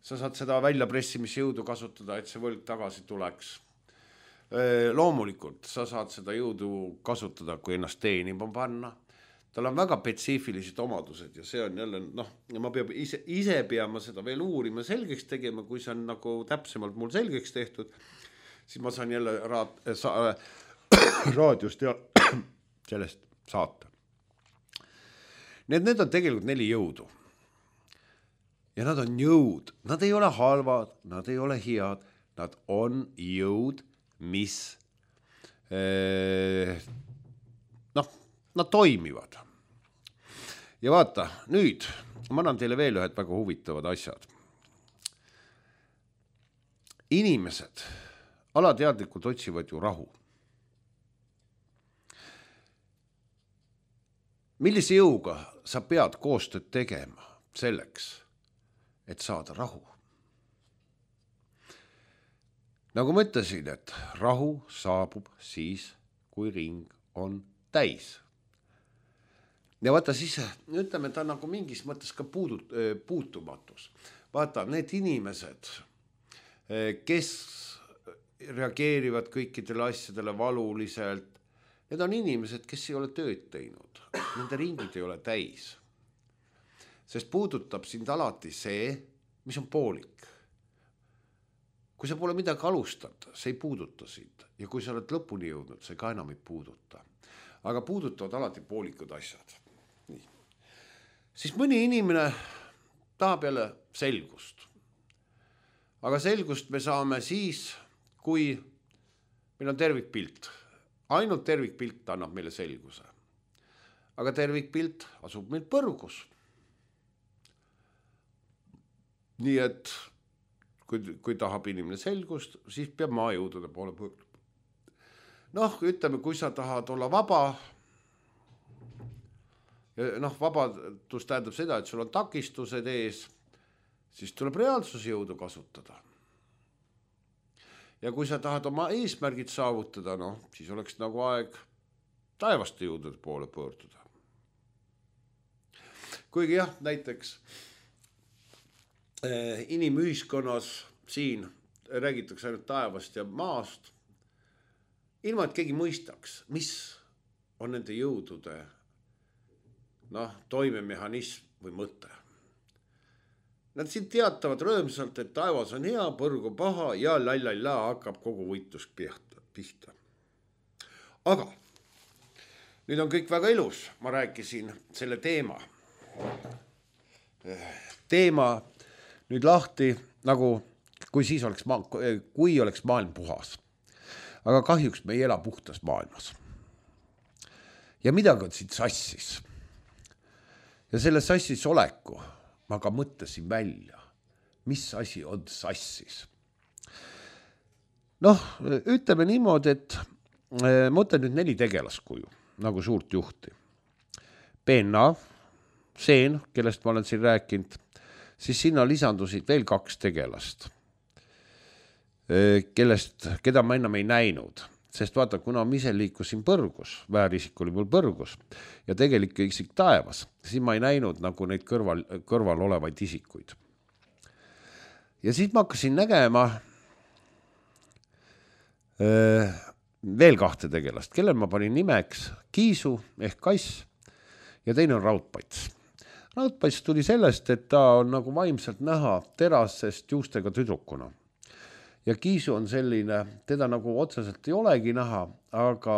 Sa saad seda väljapressimisjõudu kasutada, et see võlg tagasi tuleks. Loomulikult, sa saad seda jõudu kasutada, kui ennast teenima panna. Tal on väga spetsiifilised omadused ja see on jälle, noh, ja ma peab ise, ise peama seda veel uurima selgeks tegema, kui see on nagu täpsemalt mul selgeks tehtud, siis ma saan jälle raad, sa, raadiost ja sellest saata. Need, need on tegelikult neli jõudu. Ja nad on jõud. Nad ei ole halvad, nad ei ole head, nad on jõud, mis eh, noh, nad toimivad. Ja vaata, nüüd ma annan teile veel ühed väga huvitavad asjad. Inimesed alateadlikult otsivad ju rahu. Millise jõuga sa pead koostööd tegema selleks, et saada rahu? Nagu ma ütlesin, et rahu saabub siis, kui ring on täis. Ja vaata siis, ütleme, ta nagu mingis mõttes ka puudut, puutumatus. Vaata, need inimesed, kes reageerivad kõikidele asjadele valuliselt, need on inimesed, kes ei ole tööd teinud. Nende ringid ei ole täis. Sest puudutab sind alati see, mis on poolik. Kui sa pole midagi alustad, see ei puuduta sind. Ja kui sa oled lõpuni jõudnud, see ka enam ei puuduta. Aga puudutavad alati poolikud asjad. Nii. Siis mõni inimene tahab jälle selgust. Aga selgust me saame siis, kui meil on tervikpilt. Ainult tervikpilt annab meile selguse. Aga tervikpilt asub meil põrgus. Nii et kui, kui tahab inimene selgust, siis peab maajõudude poole pöörduma. Noh, ütleme, kui sa tahad olla vaba, noh, vabadus tähendab seda, et sul on takistused ees, siis tuleb reaalsusjõudu kasutada. Ja kui sa tahad oma eesmärgid saavutada, noh, siis oleks nagu aeg taevaste jõudude poole pöörduda. Kuigi jah, näiteks eh, inimühiskonnas siin räägitakse ainult taevast ja maast, ilma et keegi mõistaks, mis on nende jõudude noh, toimemehhanism või mõte. Nad siin teatavad rõõmsalt, et taevas on hea, põrg on paha ja lallalla hakkab kogu võitlus pihta. Aga nüüd on kõik väga ilus. Ma rääkisin selle teema. Teema nüüd lahti, nagu kui siis oleks, ma, kui oleks maailm puhas. Aga kahjuks me ei ela puhtas maailmas. Ja midagi on siit sassis. Ja selle sassis oleku ma ka mõtlesin välja, mis asi on sassis. Noh, ütleme niimoodi, et ma ütlen nüüd neli tegelaskuju, nagu suurt juhti. Penna, Seen, kellest ma olen siin rääkinud, siis sinna lisandusid veel kaks tegelast, kellest, keda ma enam ei näinud. Sest vaata, kuna ma ise liikusin põrgus, väärisik oli mul põrgus ja tegelik isik taevas, siis ma ei näinud nagu neid kõrval, kõrval olevaid isikuid. Ja siis ma hakkasin nägema öö, veel kahte tegelast, kellel ma panin nimeks Kiisu ehk Kass ja teine on raudpats. Raudpats tuli sellest, et ta on nagu vaimselt näha terasest juustega tüdrukuna. Ja kiisu on selline, teda nagu otseselt ei olegi näha, aga,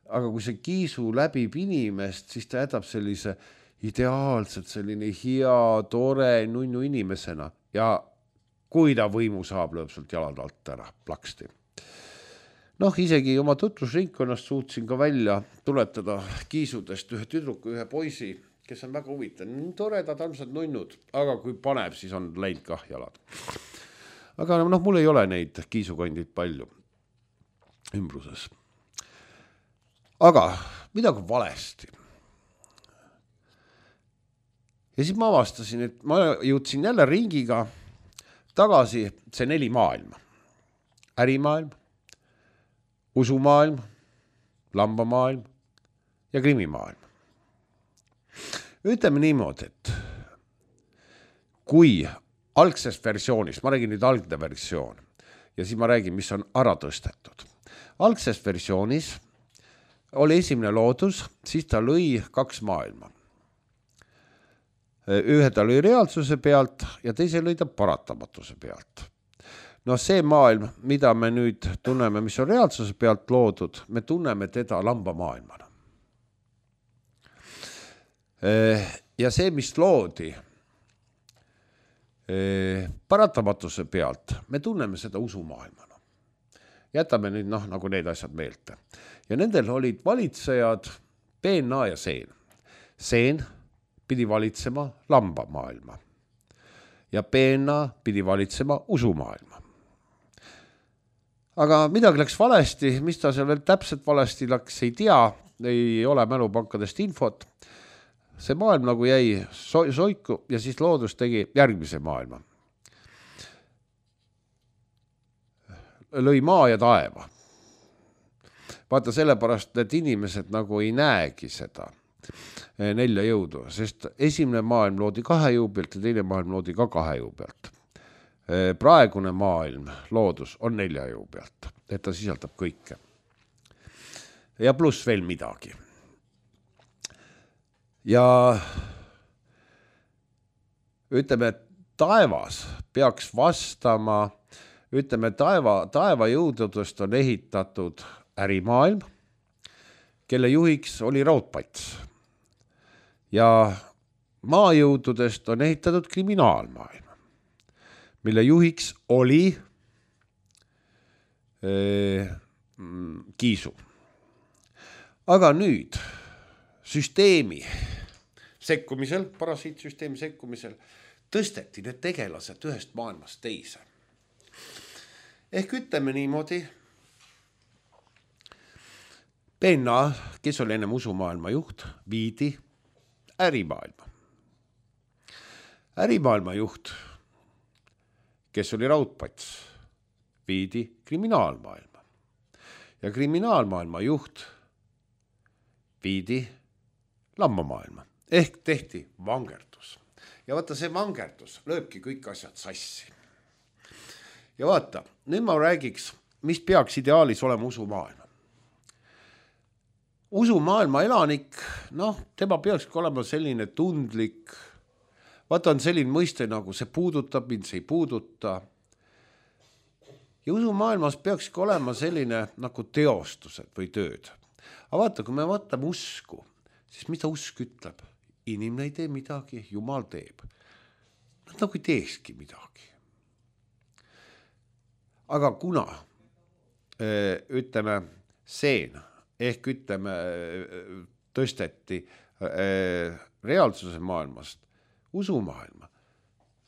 aga kui see kiisu läbib inimest, siis ta jätab sellise ideaalselt selline hea, tore, nunnu inimesena ja kui ta võimu saab, lööb sealt jalad alt ära, plaksti. Noh, isegi oma tutvusringkonnast suutsin ka välja tuletada kiisudest ühe tüdruku, ühe poisi, kes on väga huvitav. Toredad, armsad nunnud, aga kui paneb, siis on läinud kah jalad. Aga noh, mul ei ole neid kiisukandid palju ümbruses. Aga midagi valesti. Ja siis ma avastasin, et ma jõudsin jälle ringiga tagasi see neli maailma. Ärimaailm, usumaailm, lambamaailm ja krimimaailm. Ütleme niimoodi, et kui algsest versioonist, ma räägin nüüd algne versioon ja siis ma räägin, mis on ära tõstetud. Algsest versioonis oli esimene loodus, siis ta lõi kaks maailma. Ühe ta lõi reaalsuse pealt ja teise lõi ta paratamatuse pealt. No see maailm, mida me nüüd tunneme, mis on reaalsuse pealt loodud, me tunneme teda lambamaailmana. Ja see, mis loodi paratamatuse pealt, me tunneme seda usumaailmana. Jätame nüüd noh, nagu need asjad meelte. Ja nendel olid valitsejad Peenna ja Seen. Seen pidi valitsema lambamaailma ja Peenna pidi valitsema usumaailma. Aga midagi läks valesti, mis ta seal veel täpselt valesti läks, ei tea, ei ole mälupankadest infot. See maailm nagu jäi so- soiku ja siis loodus tegi järgmise maailma. Lõi maa ja taeva. Vaata sellepärast, et inimesed nagu ei näegi seda nelja jõudu, sest esimene maailm loodi kahe jõu pealt ja teine maailm loodi ka kahe jõu pealt. Praegune maailm, loodus, on nelja jõu pealt, et ta sisaldab kõike. Ja pluss veel midagi. Ja ütleme, et taevas peaks vastama, ütleme, taeva, taeva jõududest on ehitatud ärimaailm, kelle juhiks oli raudpats. Ja maajõududest on ehitatud kriminaalmaailm, mille juhiks oli äh, kiisu. Aga nüüd süsteemi sekkumisel, parasiitsüsteemi sekkumisel, tõsteti need tegelased ühest maailmast teise. Ehk ütleme niimoodi, Peenna, kes oli ennem usumaailma juht, viidi ärimaailma. Ärimaailma juht, kes oli raudpats, viidi kriminaalmaailma. Ja kriminaalmaailma juht viidi lambamaailma. Ehk tehti vangerdus. Ja vaata, see vangerdus lööbki kõik asjad sassi. Ja vaata, nüüd ma räägiks, mis peaks ideaalis olema usumaailma. Usumaailma elanik, noh, tema peakski olema selline tundlik, vaata on selline mõiste nagu see puudutab mind, see ei puuduta. Ja usumaailmas peakski olema selline nagu teostused või tööd. Aga vaata, kui me vaatame usku, siis mida usk ütleb? Inimene ei tee midagi, Jumal teeb. Nad nagu ei teekski midagi. Aga kuna, ütleme, Seen, ehk ütleme, tõsteti reaalsuse maailmast usumaailma,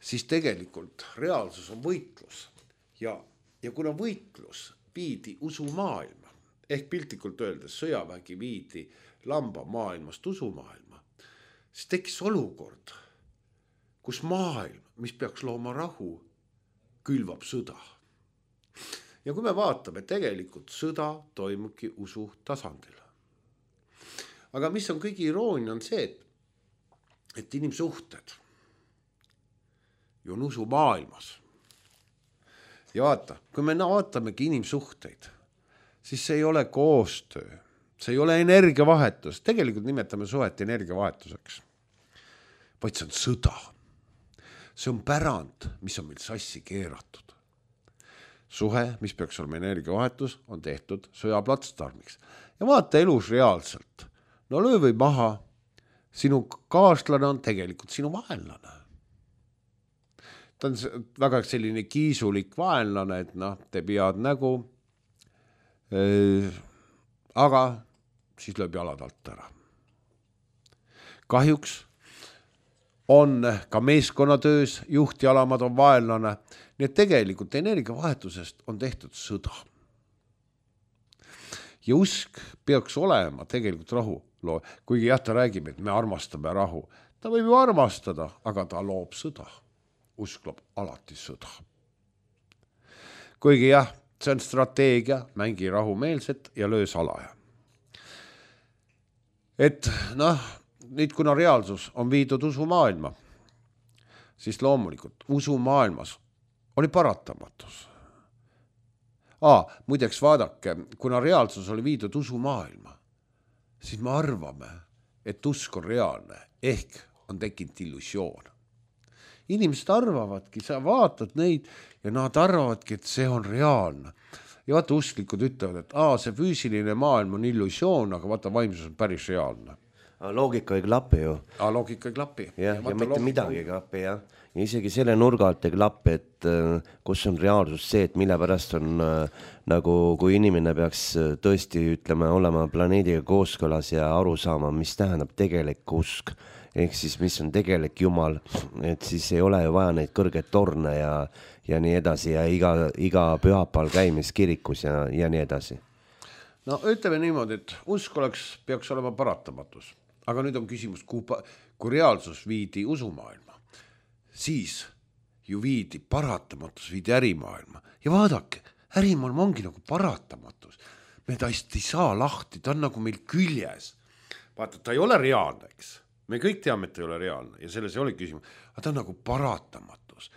siis tegelikult reaalsus on võitlus. Ja, ja kuna võitlus viidi usumaailma, ehk piltlikult öeldes sõjavägi viidi lamba maailmast usumaailma, siis tekkis olukord, kus maailm, mis peaks looma rahu, külvab sõda. Ja kui me vaatame, tegelikult sõda toimubki usu tasandil. Aga mis on kõige iroonia on see, et, et inimsuhted ju on usu maailmas. Ja vaata, kui me vaatamegi inimsuhteid, siis see ei ole koostöö, see ei ole energiavahetus, tegelikult nimetame suhet energiavahetuseks, vaid see on sõda. See on pärand, mis on meil sassi keeratud. Suhe, mis peaks olema energiavahetus, on tehtud sõjaplatsdarmiks. Ja vaata elus reaalselt. No löö või maha, sinu kaaslane on tegelikult sinu vaenlane. Ta on väga selline kiisulik vaenlane, et noh, teeb head nägu, aga siis lööb jalad alt ära. Kahjuks on ka meeskonnatöös juht ja alamad on vaenlane, nii et tegelikult energiavahetusest on tehtud sõda. Ja usk peaks olema tegelikult rahu loo, kuigi jah, ta räägib, et me armastame rahu. Ta võib ju armastada, aga ta loob sõda. Usk loob alati sõda. Kuigi jah, see on strateegia, mängi rahumeelset ja löö salaja. Et noh, nüüd kuna reaalsus on viidud usumaailma, siis loomulikult usumaailmas oli paratamatus. Aa, muideks vaadake, kuna reaalsus oli viidud usumaailma, siis me arvame, et usk on reaalne, ehk on tekkinud illusioon. Inimesed arvavadki, sa vaatad neid ja nad arvavadki, et see on reaalne. Ja vaata, usklikud ütlevad, et aa, see füüsiline maailm on illusioon, aga vaata, vaimsus on päris reaalne. Loogika ei klapi ju. Aa, loogika ei klapi. Ja, ja, ja mitte midagi ei klapi, jah. Ja isegi selle nurga alt ei klapi, et uh, kus on reaalsus see, et mille pärast on uh, nagu, kui inimene peaks uh, tõesti ütlema, olema planeediga kooskõlas ja aru saama, mis tähendab tegelik usk, ehk siis mis on tegelik Jumal, et siis ei ole ju vaja neid kõrgeid torne ja, ja nii edasi ja iga, iga pühapäeval käimis kirikus ja, ja nii edasi. No ütleme niimoodi, et usk oleks, peaks olema paratamatus. Aga nüüd on küsimus, kui, kui reaalsus viidi usumaailma, siis ju viidi paratamatus, viidi ärimaailma. Ja vaadake, ärimaailma ongi nagu paratamatus. Me ta ei saa lahti, ta on nagu meil küljes. Vaata, ta ei ole reaalne, eks. Me kõik teame, et ta ei ole reaalne ja selles ei ole küsimus. Aga ta on nagu paratamatus.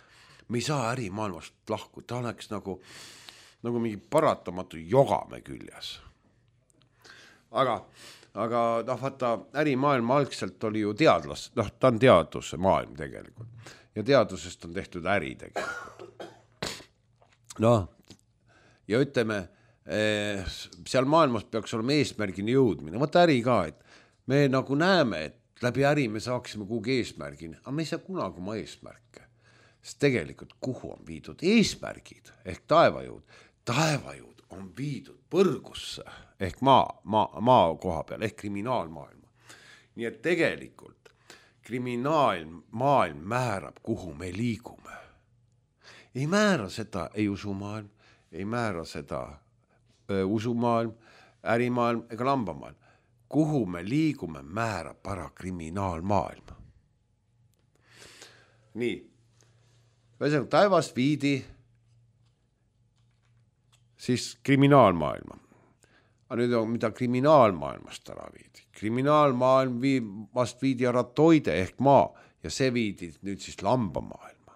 Me ei saa ärimaailmast lahku, ta oleks nagu, nagu mingi paratamatu jogame küljes. Aga... Aga noh, vaata, ärimaailm algselt oli ju teadlas, noh, ta on teaduse maailm tegelikult. Ja teadusest on tehtud äri tegelikult. Noh, ja ütleme, seal maailmas peaks olema eesmärgini jõudmine. Vaata äri ka, et me nagu näeme, et läbi äri me saaksime kuhugi eesmärgini, aga me ei saa kunagi oma eesmärke. Sest tegelikult kuhu on viidud eesmärgid ehk taevajõud? Taevajõud on viidud põrgusse ehk maa, maa, maa koha peal ehk kriminaalmaailma. Nii et tegelikult kriminaalmaailm määrab, kuhu me liigume. Ei määra seda ei usumaailm, ei määra seda öö, usumaailm, ärimaailm ega lambamaailm. Kuhu me liigume, määrab para kriminaalmaailm. Nii, väsem taevas viidi siis kriminaalmaailma. Aga nüüd on, mida kriminaalmaailmast ära viidi. Kriminaalmaailm viib, vast viidi ära toide ehk maa ja see viidi nüüd siis lambamaailma.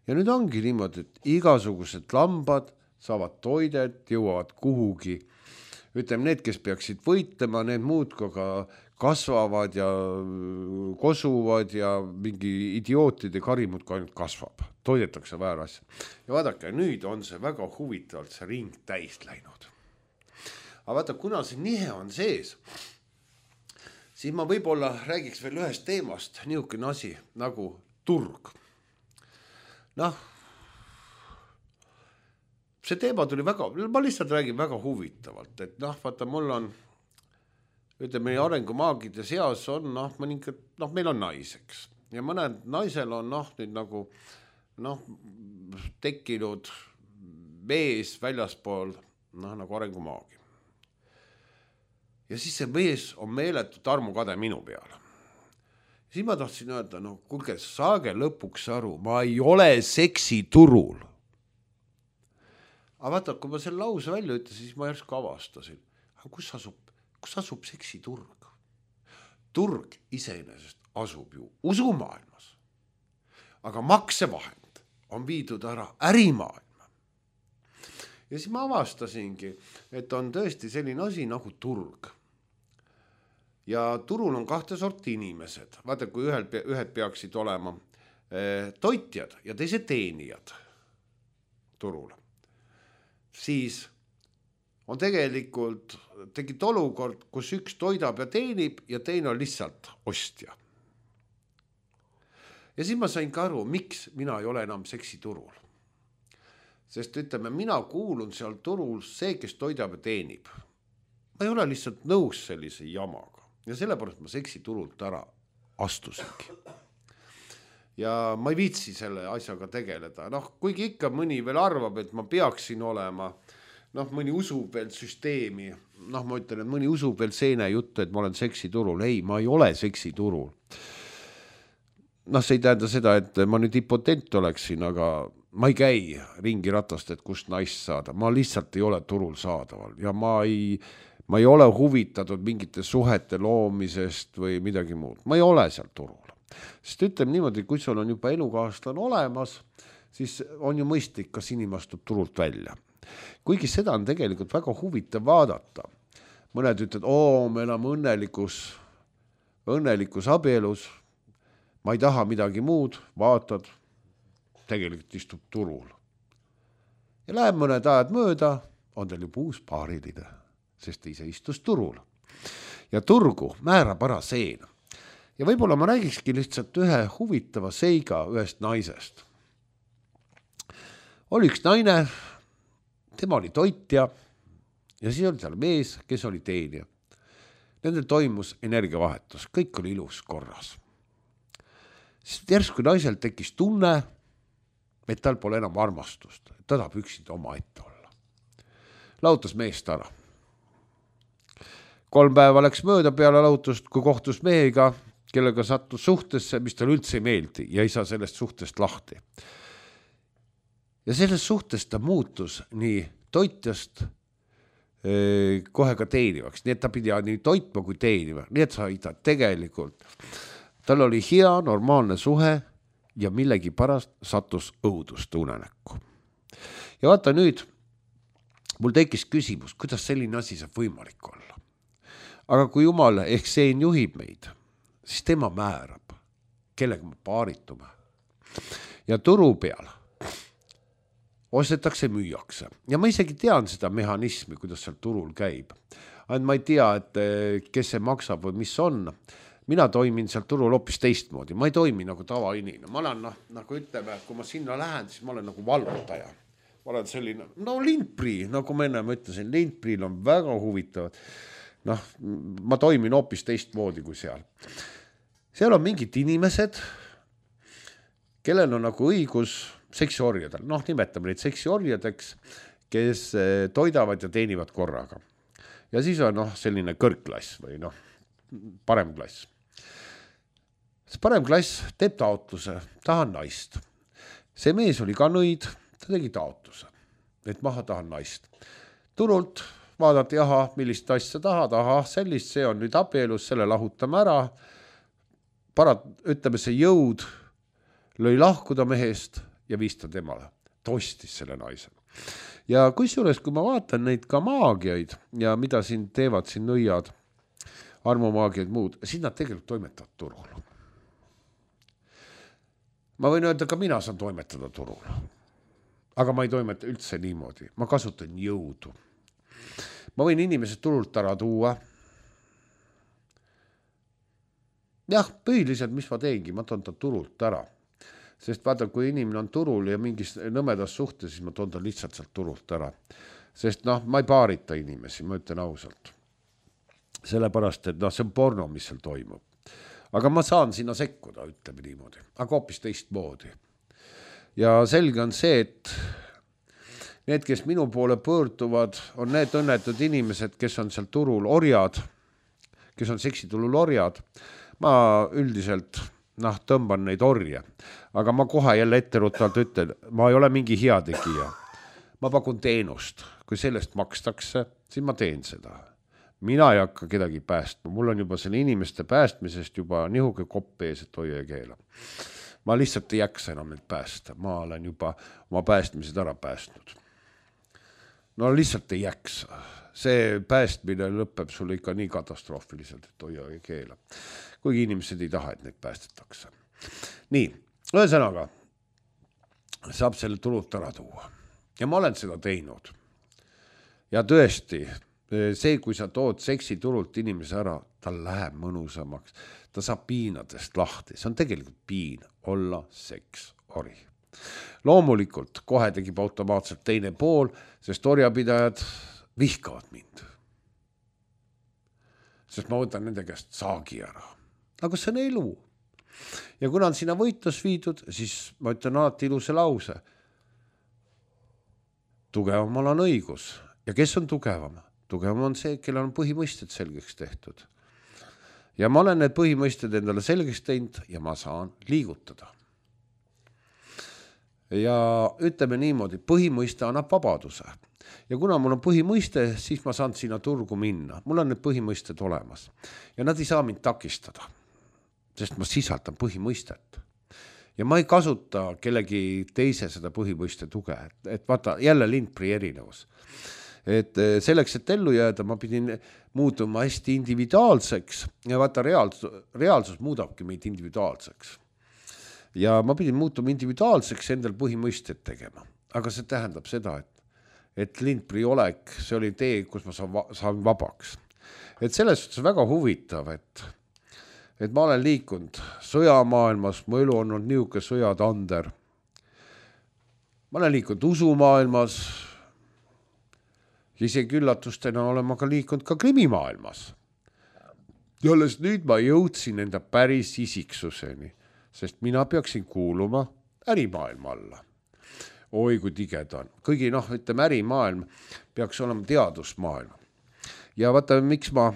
Ja nüüd ongi niimoodi, et igasugused lambad saavad toidet, jõuavad kuhugi. Ütleme, need, kes peaksid võitlema, need muud ka kasvavad ja kosuvad ja mingi idiootide karimud ka ainult kasvab. Toidetakse väär asja. Ja vaadake, nüüd on see väga huvitavalt see ring täis läinud. Aga vaata, kuna see nihe on sees, siis ma võib-olla räägiks veel ühest teemast, niisugune asi nagu turg. Noh, see teema tuli väga, ma lihtsalt räägin väga huvitavalt, et noh, vaata, mul on, ütleme, arengumaagide seas on, noh, mõningad, noh, meil on naiseks. Ja mõned naisel on, noh, nüüd nagu, noh, tekkinud mees väljaspool, noh, nagu arengumaagi. Ja siis see mees on meeletult armukade minu peale. Siis ma tahtsin öelda, no kuulge, saage lõpuks aru, ma ei ole seksiturul. Aga vaata, kui ma selle lause välja ütlesin, siis ma järsku avastasin. Aga kus asub, kus asub seksiturg? Turg iseenesest asub ju usumaailmas. Aga maksevahend on viidud ära ärimaailma. ja siis ma avastasingi, et on tõesti selline asi nagu turg. Ja turul on kahte sorti inimesed. Vaata, kui ühel, ühed peaksid olema eh, toitjad ja teised teenijad turul, siis on tegelikult tegid olukord, kus üks toidab ja teenib ja teine on lihtsalt ostja. Ja siis ma sain ka aru, miks mina ei ole enam seksiturul. Sest ütleme, mina kuulun seal turul see, kes toidab ja teenib. Ma ei ole lihtsalt nõus sellise jamaga ja sellepärast ma seksiturult ära astusingi. Ja ma ei viitsi selle asjaga tegeleda. Noh, kuigi ikka mõni veel arvab, et ma peaksin olema, noh, mõni usub veel süsteemi, noh, ma ütlen, et mõni usub veel seene juttu, et ma olen seksiturul. Ei, ma ei ole seksiturul. Noh, see ei tähenda seda, et ma nüüd impotent oleksin, aga ma ei käi ringi ratast, et kust naist saada. Ma lihtsalt ei ole turul saadaval ja ma ei, ma ei ole huvitatud mingite suhete loomisest või midagi muud. Ma ei ole seal turul. Sest ütleme niimoodi, kui sul on juba elukaaslan olemas, siis on ju mõistlik, kas inimene astub turult välja. Kuigi seda on tegelikult väga huvitav vaadata. Mõned ütlevad, oo, me elame õnnelikus, õnnelikus abielus, ma ei taha midagi muud, vaatad, tegelikult istub turul. Ja läheb mõned ajad mööda, on teil juba uus paariline, sest ise istus turul. Ja turgu määrab ära seen. Ja võib-olla ma räägikski lihtsalt ühe huvitava seiga ühest naisest. Oli üks naine, tema oli toitja ja siis oli seal mees, kes oli teenija. Nendel toimus energiavahetus, kõik oli ilus korras. Siis järsku naisel tekkis tunne, et tal pole enam armastust, ta tahab üksinda oma ette olla. Lautas meest ära. Kolm päeva läks mööda peale lautust, kui kohtus mehega, kellega sattus suhtesse, mis tal üldse ei meeldi ja ei saa sellest suhtest lahti. Ja sellest suhtest ta muutus nii toitjast eh, kohe ka teenivaks, nii et ta pidi nii toitma kui teenima, nii et sai ta tegelikult. Tal oli hea, normaalne suhe ja millegi pärast sattus õudust unenäkku. Ja vaata nüüd, mul tekkis küsimus, kuidas selline asi saab võimalik olla. Aga kui Jumal ehk seen juhib meid, siis tema määrab, kellega me paaritume. Ja turu peal ostetakse, müüakse. Ja ma isegi tean seda mehhanismi, kuidas seal turul käib. Ainult ma ei tea, et kes see maksab või mis on. Mina toimin seal turul hoopis teistmoodi. Ma ei toimi nagu tavainine. Ma olen, noh, nagu ütleme, kui ma sinna lähen, siis ma olen nagu valvutaja. Ma olen selline, no lindprii, nagu ma enne ütlesin, lindpriil on väga huvitavad. Noh, ma toimin hoopis teistmoodi kui seal. Seal on mingid inimesed, kellel on nagu õigus seksiorjadel. Noh, nimetame neid seksiorjadeks, kes toidavad ja teenivad korraga. Ja siis on noh, selline kõrgklass või noh, parem klass. See parem klass teeb taotluse, tahan naist. See mees oli ka nõid, ta tegi taotluse, et maha tahan naist. Turult vaadati, aha, millist asja tahad, aha, sellist, see on nüüd abielus, selle lahutame ära. Parat, ütleme, see jõud lõi lahkuda mehest ja viis ta temale. Ta ostis selle naise. Ja kusjuures, kui ma vaatan neid ka maagiaid ja mida siin teevad siin nõiad, armumaagiaid muud, siis nad tegelikult toimetavad turul. Ma võin öelda, ka mina saan toimetada turul. Aga ma ei toimeta üldse niimoodi. Ma kasutan jõudu. Ma võin inimesed turult ära tuua. Jah, põhiliselt, mis ma teengi, ma toon ta turult ära. Sest vaata, kui inimene on turul ja mingis nõmedas suhtes, siis ma toon ta lihtsalt sealt turult ära. Sest noh, ma ei paarita inimesi, ma ütlen ausalt. Sellepärast, et noh, see on porno, mis seal toimub. Aga ma saan sinna sekkuda, ütleme niimoodi. Aga hoopis teistmoodi. Ja selge on see, et need, kes minu poole pöörduvad, on need õnnetud inimesed, kes on seal turul orjad, kes on seksiturul orjad. Ma üldiselt noh, tõmban neid orje. Aga ma kohe jälle etterutalt ütlen, ma ei ole mingi heategija. Ma pakun teenust. Kui sellest makstakse, siis ma teen seda. Mina ei hakka kedagi päästma. Mul on juba selle inimeste päästmisest juba nihuke kopp ees, et hoia ja keela. Ma lihtsalt ei jaksa enam neid päästa. Ma olen juba oma päästmised ära päästnud. no lihtsalt ei jaksa. See päästmine lõpeb sulle ikka nii katastroofiliselt, et hoia ei keela. Kuigi inimesed ei taha, et neid päästetakse. Nii, ühesõnaga saab selle turult ära tuua. Ja ma olen seda teinud. Ja tõesti, see, kui sa tood seksi turult inimese ära, tal läheb mõnusamaks. Ta saab piinadest lahti. See on tegelikult piin olla seks ori. Loomulikult kohe tegib automaatselt teine pool, sest orjapidajad vihkavad mind. Sest ma võtan nende käest saagi ära. Aga see on elu. Ja kuna on sinna võitlus viidud, siis ma ütlen alati ilusa lause. Tugevamal on õigus. Ja kes on tugevam? Tugevam on see, kellel on põhimõisted selgeks tehtud. Ja ma olen need põhimõisted endale selgeks teinud ja ma saan liigutada. Ja ütleme niimoodi, põhimõiste annab vabaduse. Ja kuna mul on põhimõiste, siis ma saan sinna turgu minna. Mul on need põhimõisted olemas. Ja nad ei saa mind takistada, sest ma sisaldan põhimõistet. Ja ma ei kasuta kellegi teise seda põhimõiste tuge. Et vaata, jälle Lindpri erinevus. Et selleks, et ellu jääda, ma pidin muutuma hästi individuaalseks ja vaata, reaalsus, reaalsus muudabki meid individuaalseks. Ja ma pidin muutuma individuaalseks endal põhimõisted tegema. Aga see tähendab seda, et, et Lindpri olek, see oli tee, kus ma saan, saan vabaks. Et selles suhtes väga huvitav, et, et ma olen liikunud sõjamaailmas, mu elu on olnud niuke sõjatander. Ma olen liikunud usumaailmas, isegi üllatustena olen ma ka liikunud ka krimimaailmas. Ja alles nüüd ma jõudsin enda päris isiksuseni, sest mina peaksin kuuluma ärimaailma alla. Oi, kui tigeda on. Kõigi, noh, ütleme, ärimaailm peaks olema teadusmaailm. Ja vaata, miks ma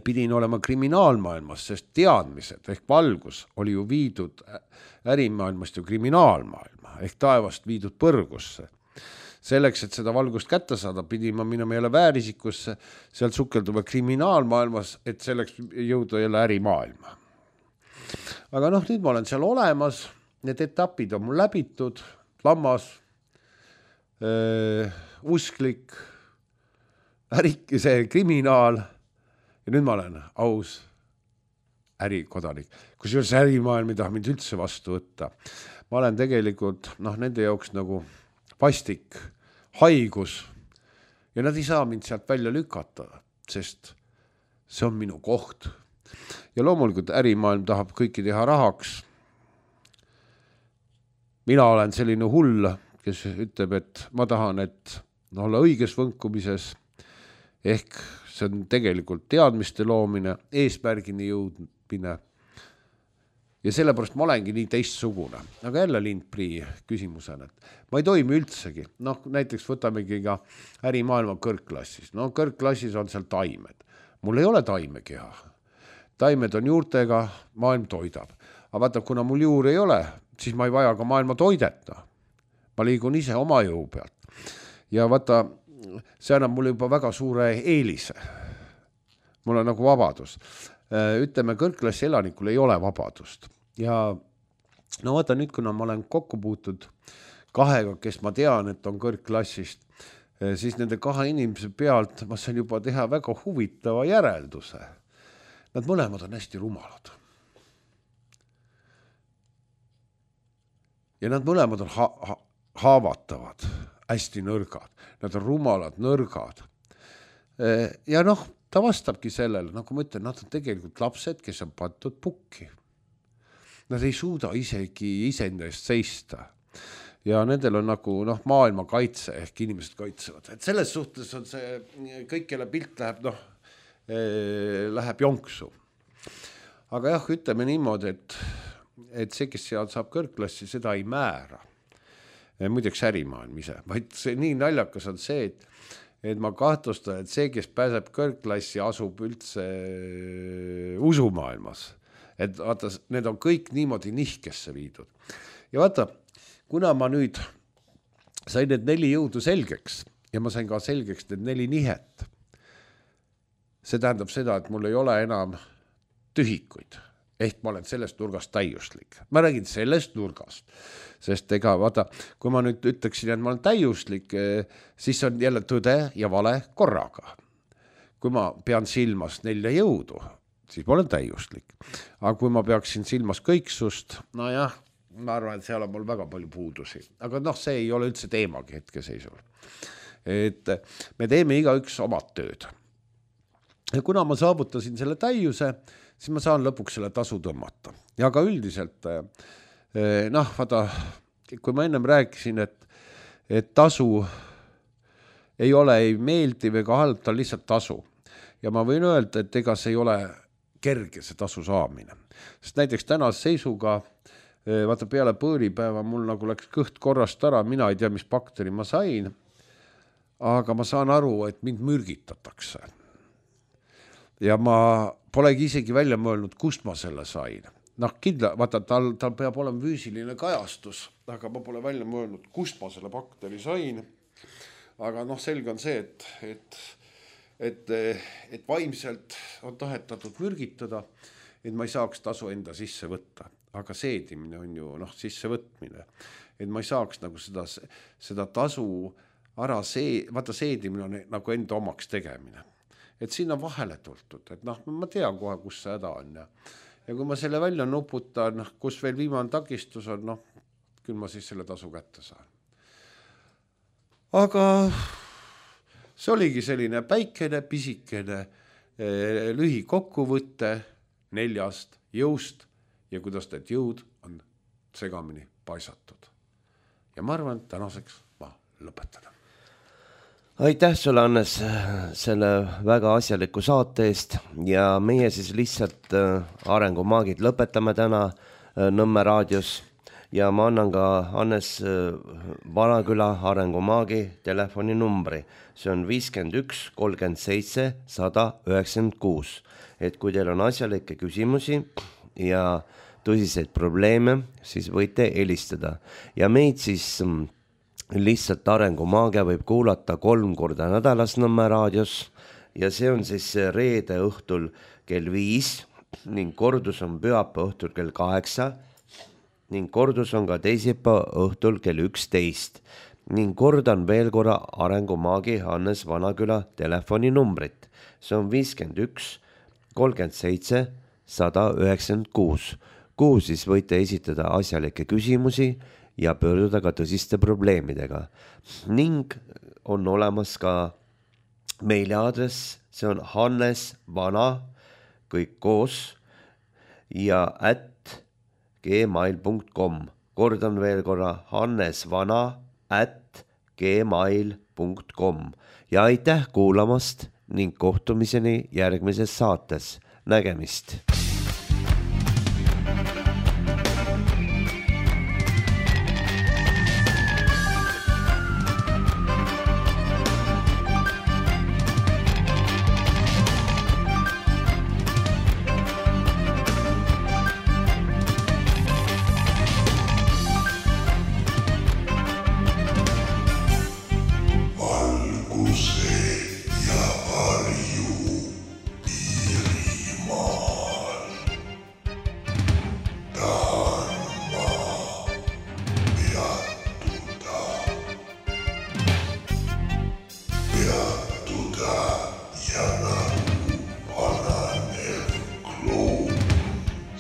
pidin olema kriminaalmaailmas, sest teadmised ehk valgus oli ju viidud ärimaailmast ju kriminaalmaailma ehk taevast viidud põrgusse. Selleks, et seda valgust kätte saada, pidin ma minema jälle väärisikusse, sealt sukelduva kriminaalmaailmas, et selleks jõuda jälle ärimaailma. Aga noh, nüüd ma olen seal olemas, need etapid on mul läbitud, lammas, öö, usklik, ärik, see kriminaal ja nüüd ma olen aus ärikodanik. Kusjuures ärimaailm ei taha mind üldse vastu võtta. Ma olen tegelikult noh, nende jaoks nagu vastik, haigus ja nad ei saa mind sealt välja lükata, sest see on minu koht. Ja loomulikult ärimaailm tahab kõiki teha rahaks. Mina olen selline hull, kes ütleb, et ma tahan, et olla õiges võnkumises, ehk see on tegelikult teadmiste loomine, eesmärgini jõudmine. Ja sellepärast ma olengi nii teistsugune. Aga jälle Lindpri küsimusena, et ma ei toimi üldsegi. Noh, näiteks võtamegi ka ärimaailma kõrgklassis. No kõrgklassis on seal taimed. Mul ei ole taimekeha. Taimed on juurtega, maailm toidab. Aga vaata, kuna mul juur ei ole, siis ma ei vaja ka maailma toideta. Ma liigun ise oma jõu pealt. Ja vaata, see annab mulle juba väga suure eelise. Mul on nagu vabadus. Ütleme, kõrgklassi elanikul ei ole vabadust. Ja no vaata nüüd, kuna ma olen kokku puutud kahega, kes ma tean, et on kõrgklassist, siis nende kahe inimese pealt ma saan juba teha väga huvitava järelduse. Nad mõlemad on hästi rumalad. Ja nad mõlemad on ha- ha- haavatavad, hästi nõrgad. Nad on rumalad, nõrgad. Ja noh, ta vastabki sellele, nagu ma ütlen, nad on tegelikult lapsed, kes on pandud pukki. Nad ei suuda isegi iseenda eest seista. Ja nendel on nagu noh, maailma kaitse ehk inimesed kaitsevad. Et selles suhtes on see, kõik kelle pilt läheb, noh, läheb jonksu. Aga jah, ütleme niimoodi, et, et see, kes seal saab kõrgklassi, seda ei määra. Muideks ärimaailm ise. Vaid see nii naljakas on see, et et ma kahtlustan, et see, kes pääseb kõrgklassi, asub üldse usumaailmas. Et vaata, need on kõik niimoodi nihkesse viidud. Ja vaata, kuna ma nüüd sain need neli jõudu selgeks ja ma sain ka selgeks need neli nihet, see tähendab seda, et mul ei ole enam tühikuid. ehk ma olen sellest nurgast täiuslik. Ma räägin sellest nurgast, sest ega vaata, kui ma nüüd ütleksin, et ma olen täiuslik, siis on jälle tõde ja vale korraga. Kui ma pean silmas nelja jõudu, siis ma olen täiuslik. Aga kui ma peaksin silmas kõiksust, no jah, ma arvan, et seal on mul väga palju puudusi. Aga noh, see ei ole üldse teemagi hetkeseisul. Et me teeme igaüks omad tööd. Ja kuna ma saavutasin selle täiuse, siis ma saan lõpuks selle tasu tõmmata. Ja ka üldiselt, noh, vaata, kui ma ennem rääkisin, et, et tasu ei ole ei meeldiv ega halb, ta on lihtsalt tasu. Ja ma võin öelda, et ega see ei ole kerge see tasu saamine. Sest näiteks tänase seisuga, vaata peale põõripäeva, mul nagu läks kõht korrast ära, mina ei tea, mis bakteri ma sain, aga ma saan aru, et mind mürgitatakse. Ja ma polegi isegi välja mõelnud, kust ma selle sain. Noh, kindla, vaata, tal, tal peab olema füüsiline kajastus, aga ma pole välja mõelnud, kust ma selle bakteri sain. Aga noh, selge on see, et, et, et, et vaimselt on tahetatud mürgitada, et ma ei saaks tasu enda sisse võtta. Aga seedimine on ju noh, sisse võtmine. Et ma ei saaks nagu seda, seda tasu ära see, vaata seedimine on nagu enda omaks tegemine. Et siin on vahele tultud, et noh, ma tean kohe, kus see häda on. Ja, ja kui ma selle välja nuputan, kus veel viimane takistus on, noh, küll ma siis selle tasu kätte saan. Aga see oligi selline päikene, pisikene, lühi kokkuvõtte neljast jõust ja kuidas need jõud on segamini paisatud. Ja ma arvan, et tänaseks ma lõpetan. Aitäh sulle, Hannes, selle väga asjaliku saate eest ja meie siis lihtsalt Arengumaagid lõpetame täna Nõmme raadios ja ma annan ka Hannes Vanaküla Arengumaagi telefoninumbri. See on viiskümmend üks kolmkümmend seitse sada üheksakümmend kuus. Et kui teil on asjalikke küsimusi ja tõsiseid probleeme, siis võite helistada ja meid siis lihtsalt Arengumaagia võib kuulata kolm korda nädalas Nõmme raadios ja see on siis reede õhtul kell viis ning kordus on pühapäeva õhtul kell kaheksa ning kordus on ka teisipäeva õhtul kell üksteist ning kordan veel korra Arengumaagi Hannes Vanaküla telefoninumbrit. See on viiskümmend üks kolmkümmend seitse sada üheksakümmend kuus, kuhu siis võite esitada asjalikke küsimusi ja pöörduda ka tõsiste probleemidega. Ning on olemas ka meiliaadress, see on Hannes Vana, kõik koos, ja at gmail punkt com. Kordan veel korra Hannes Vana at gmail punkt com. Ja aitäh kuulamast ning kohtumiseni järgmises saates. Nägemist!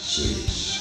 Six,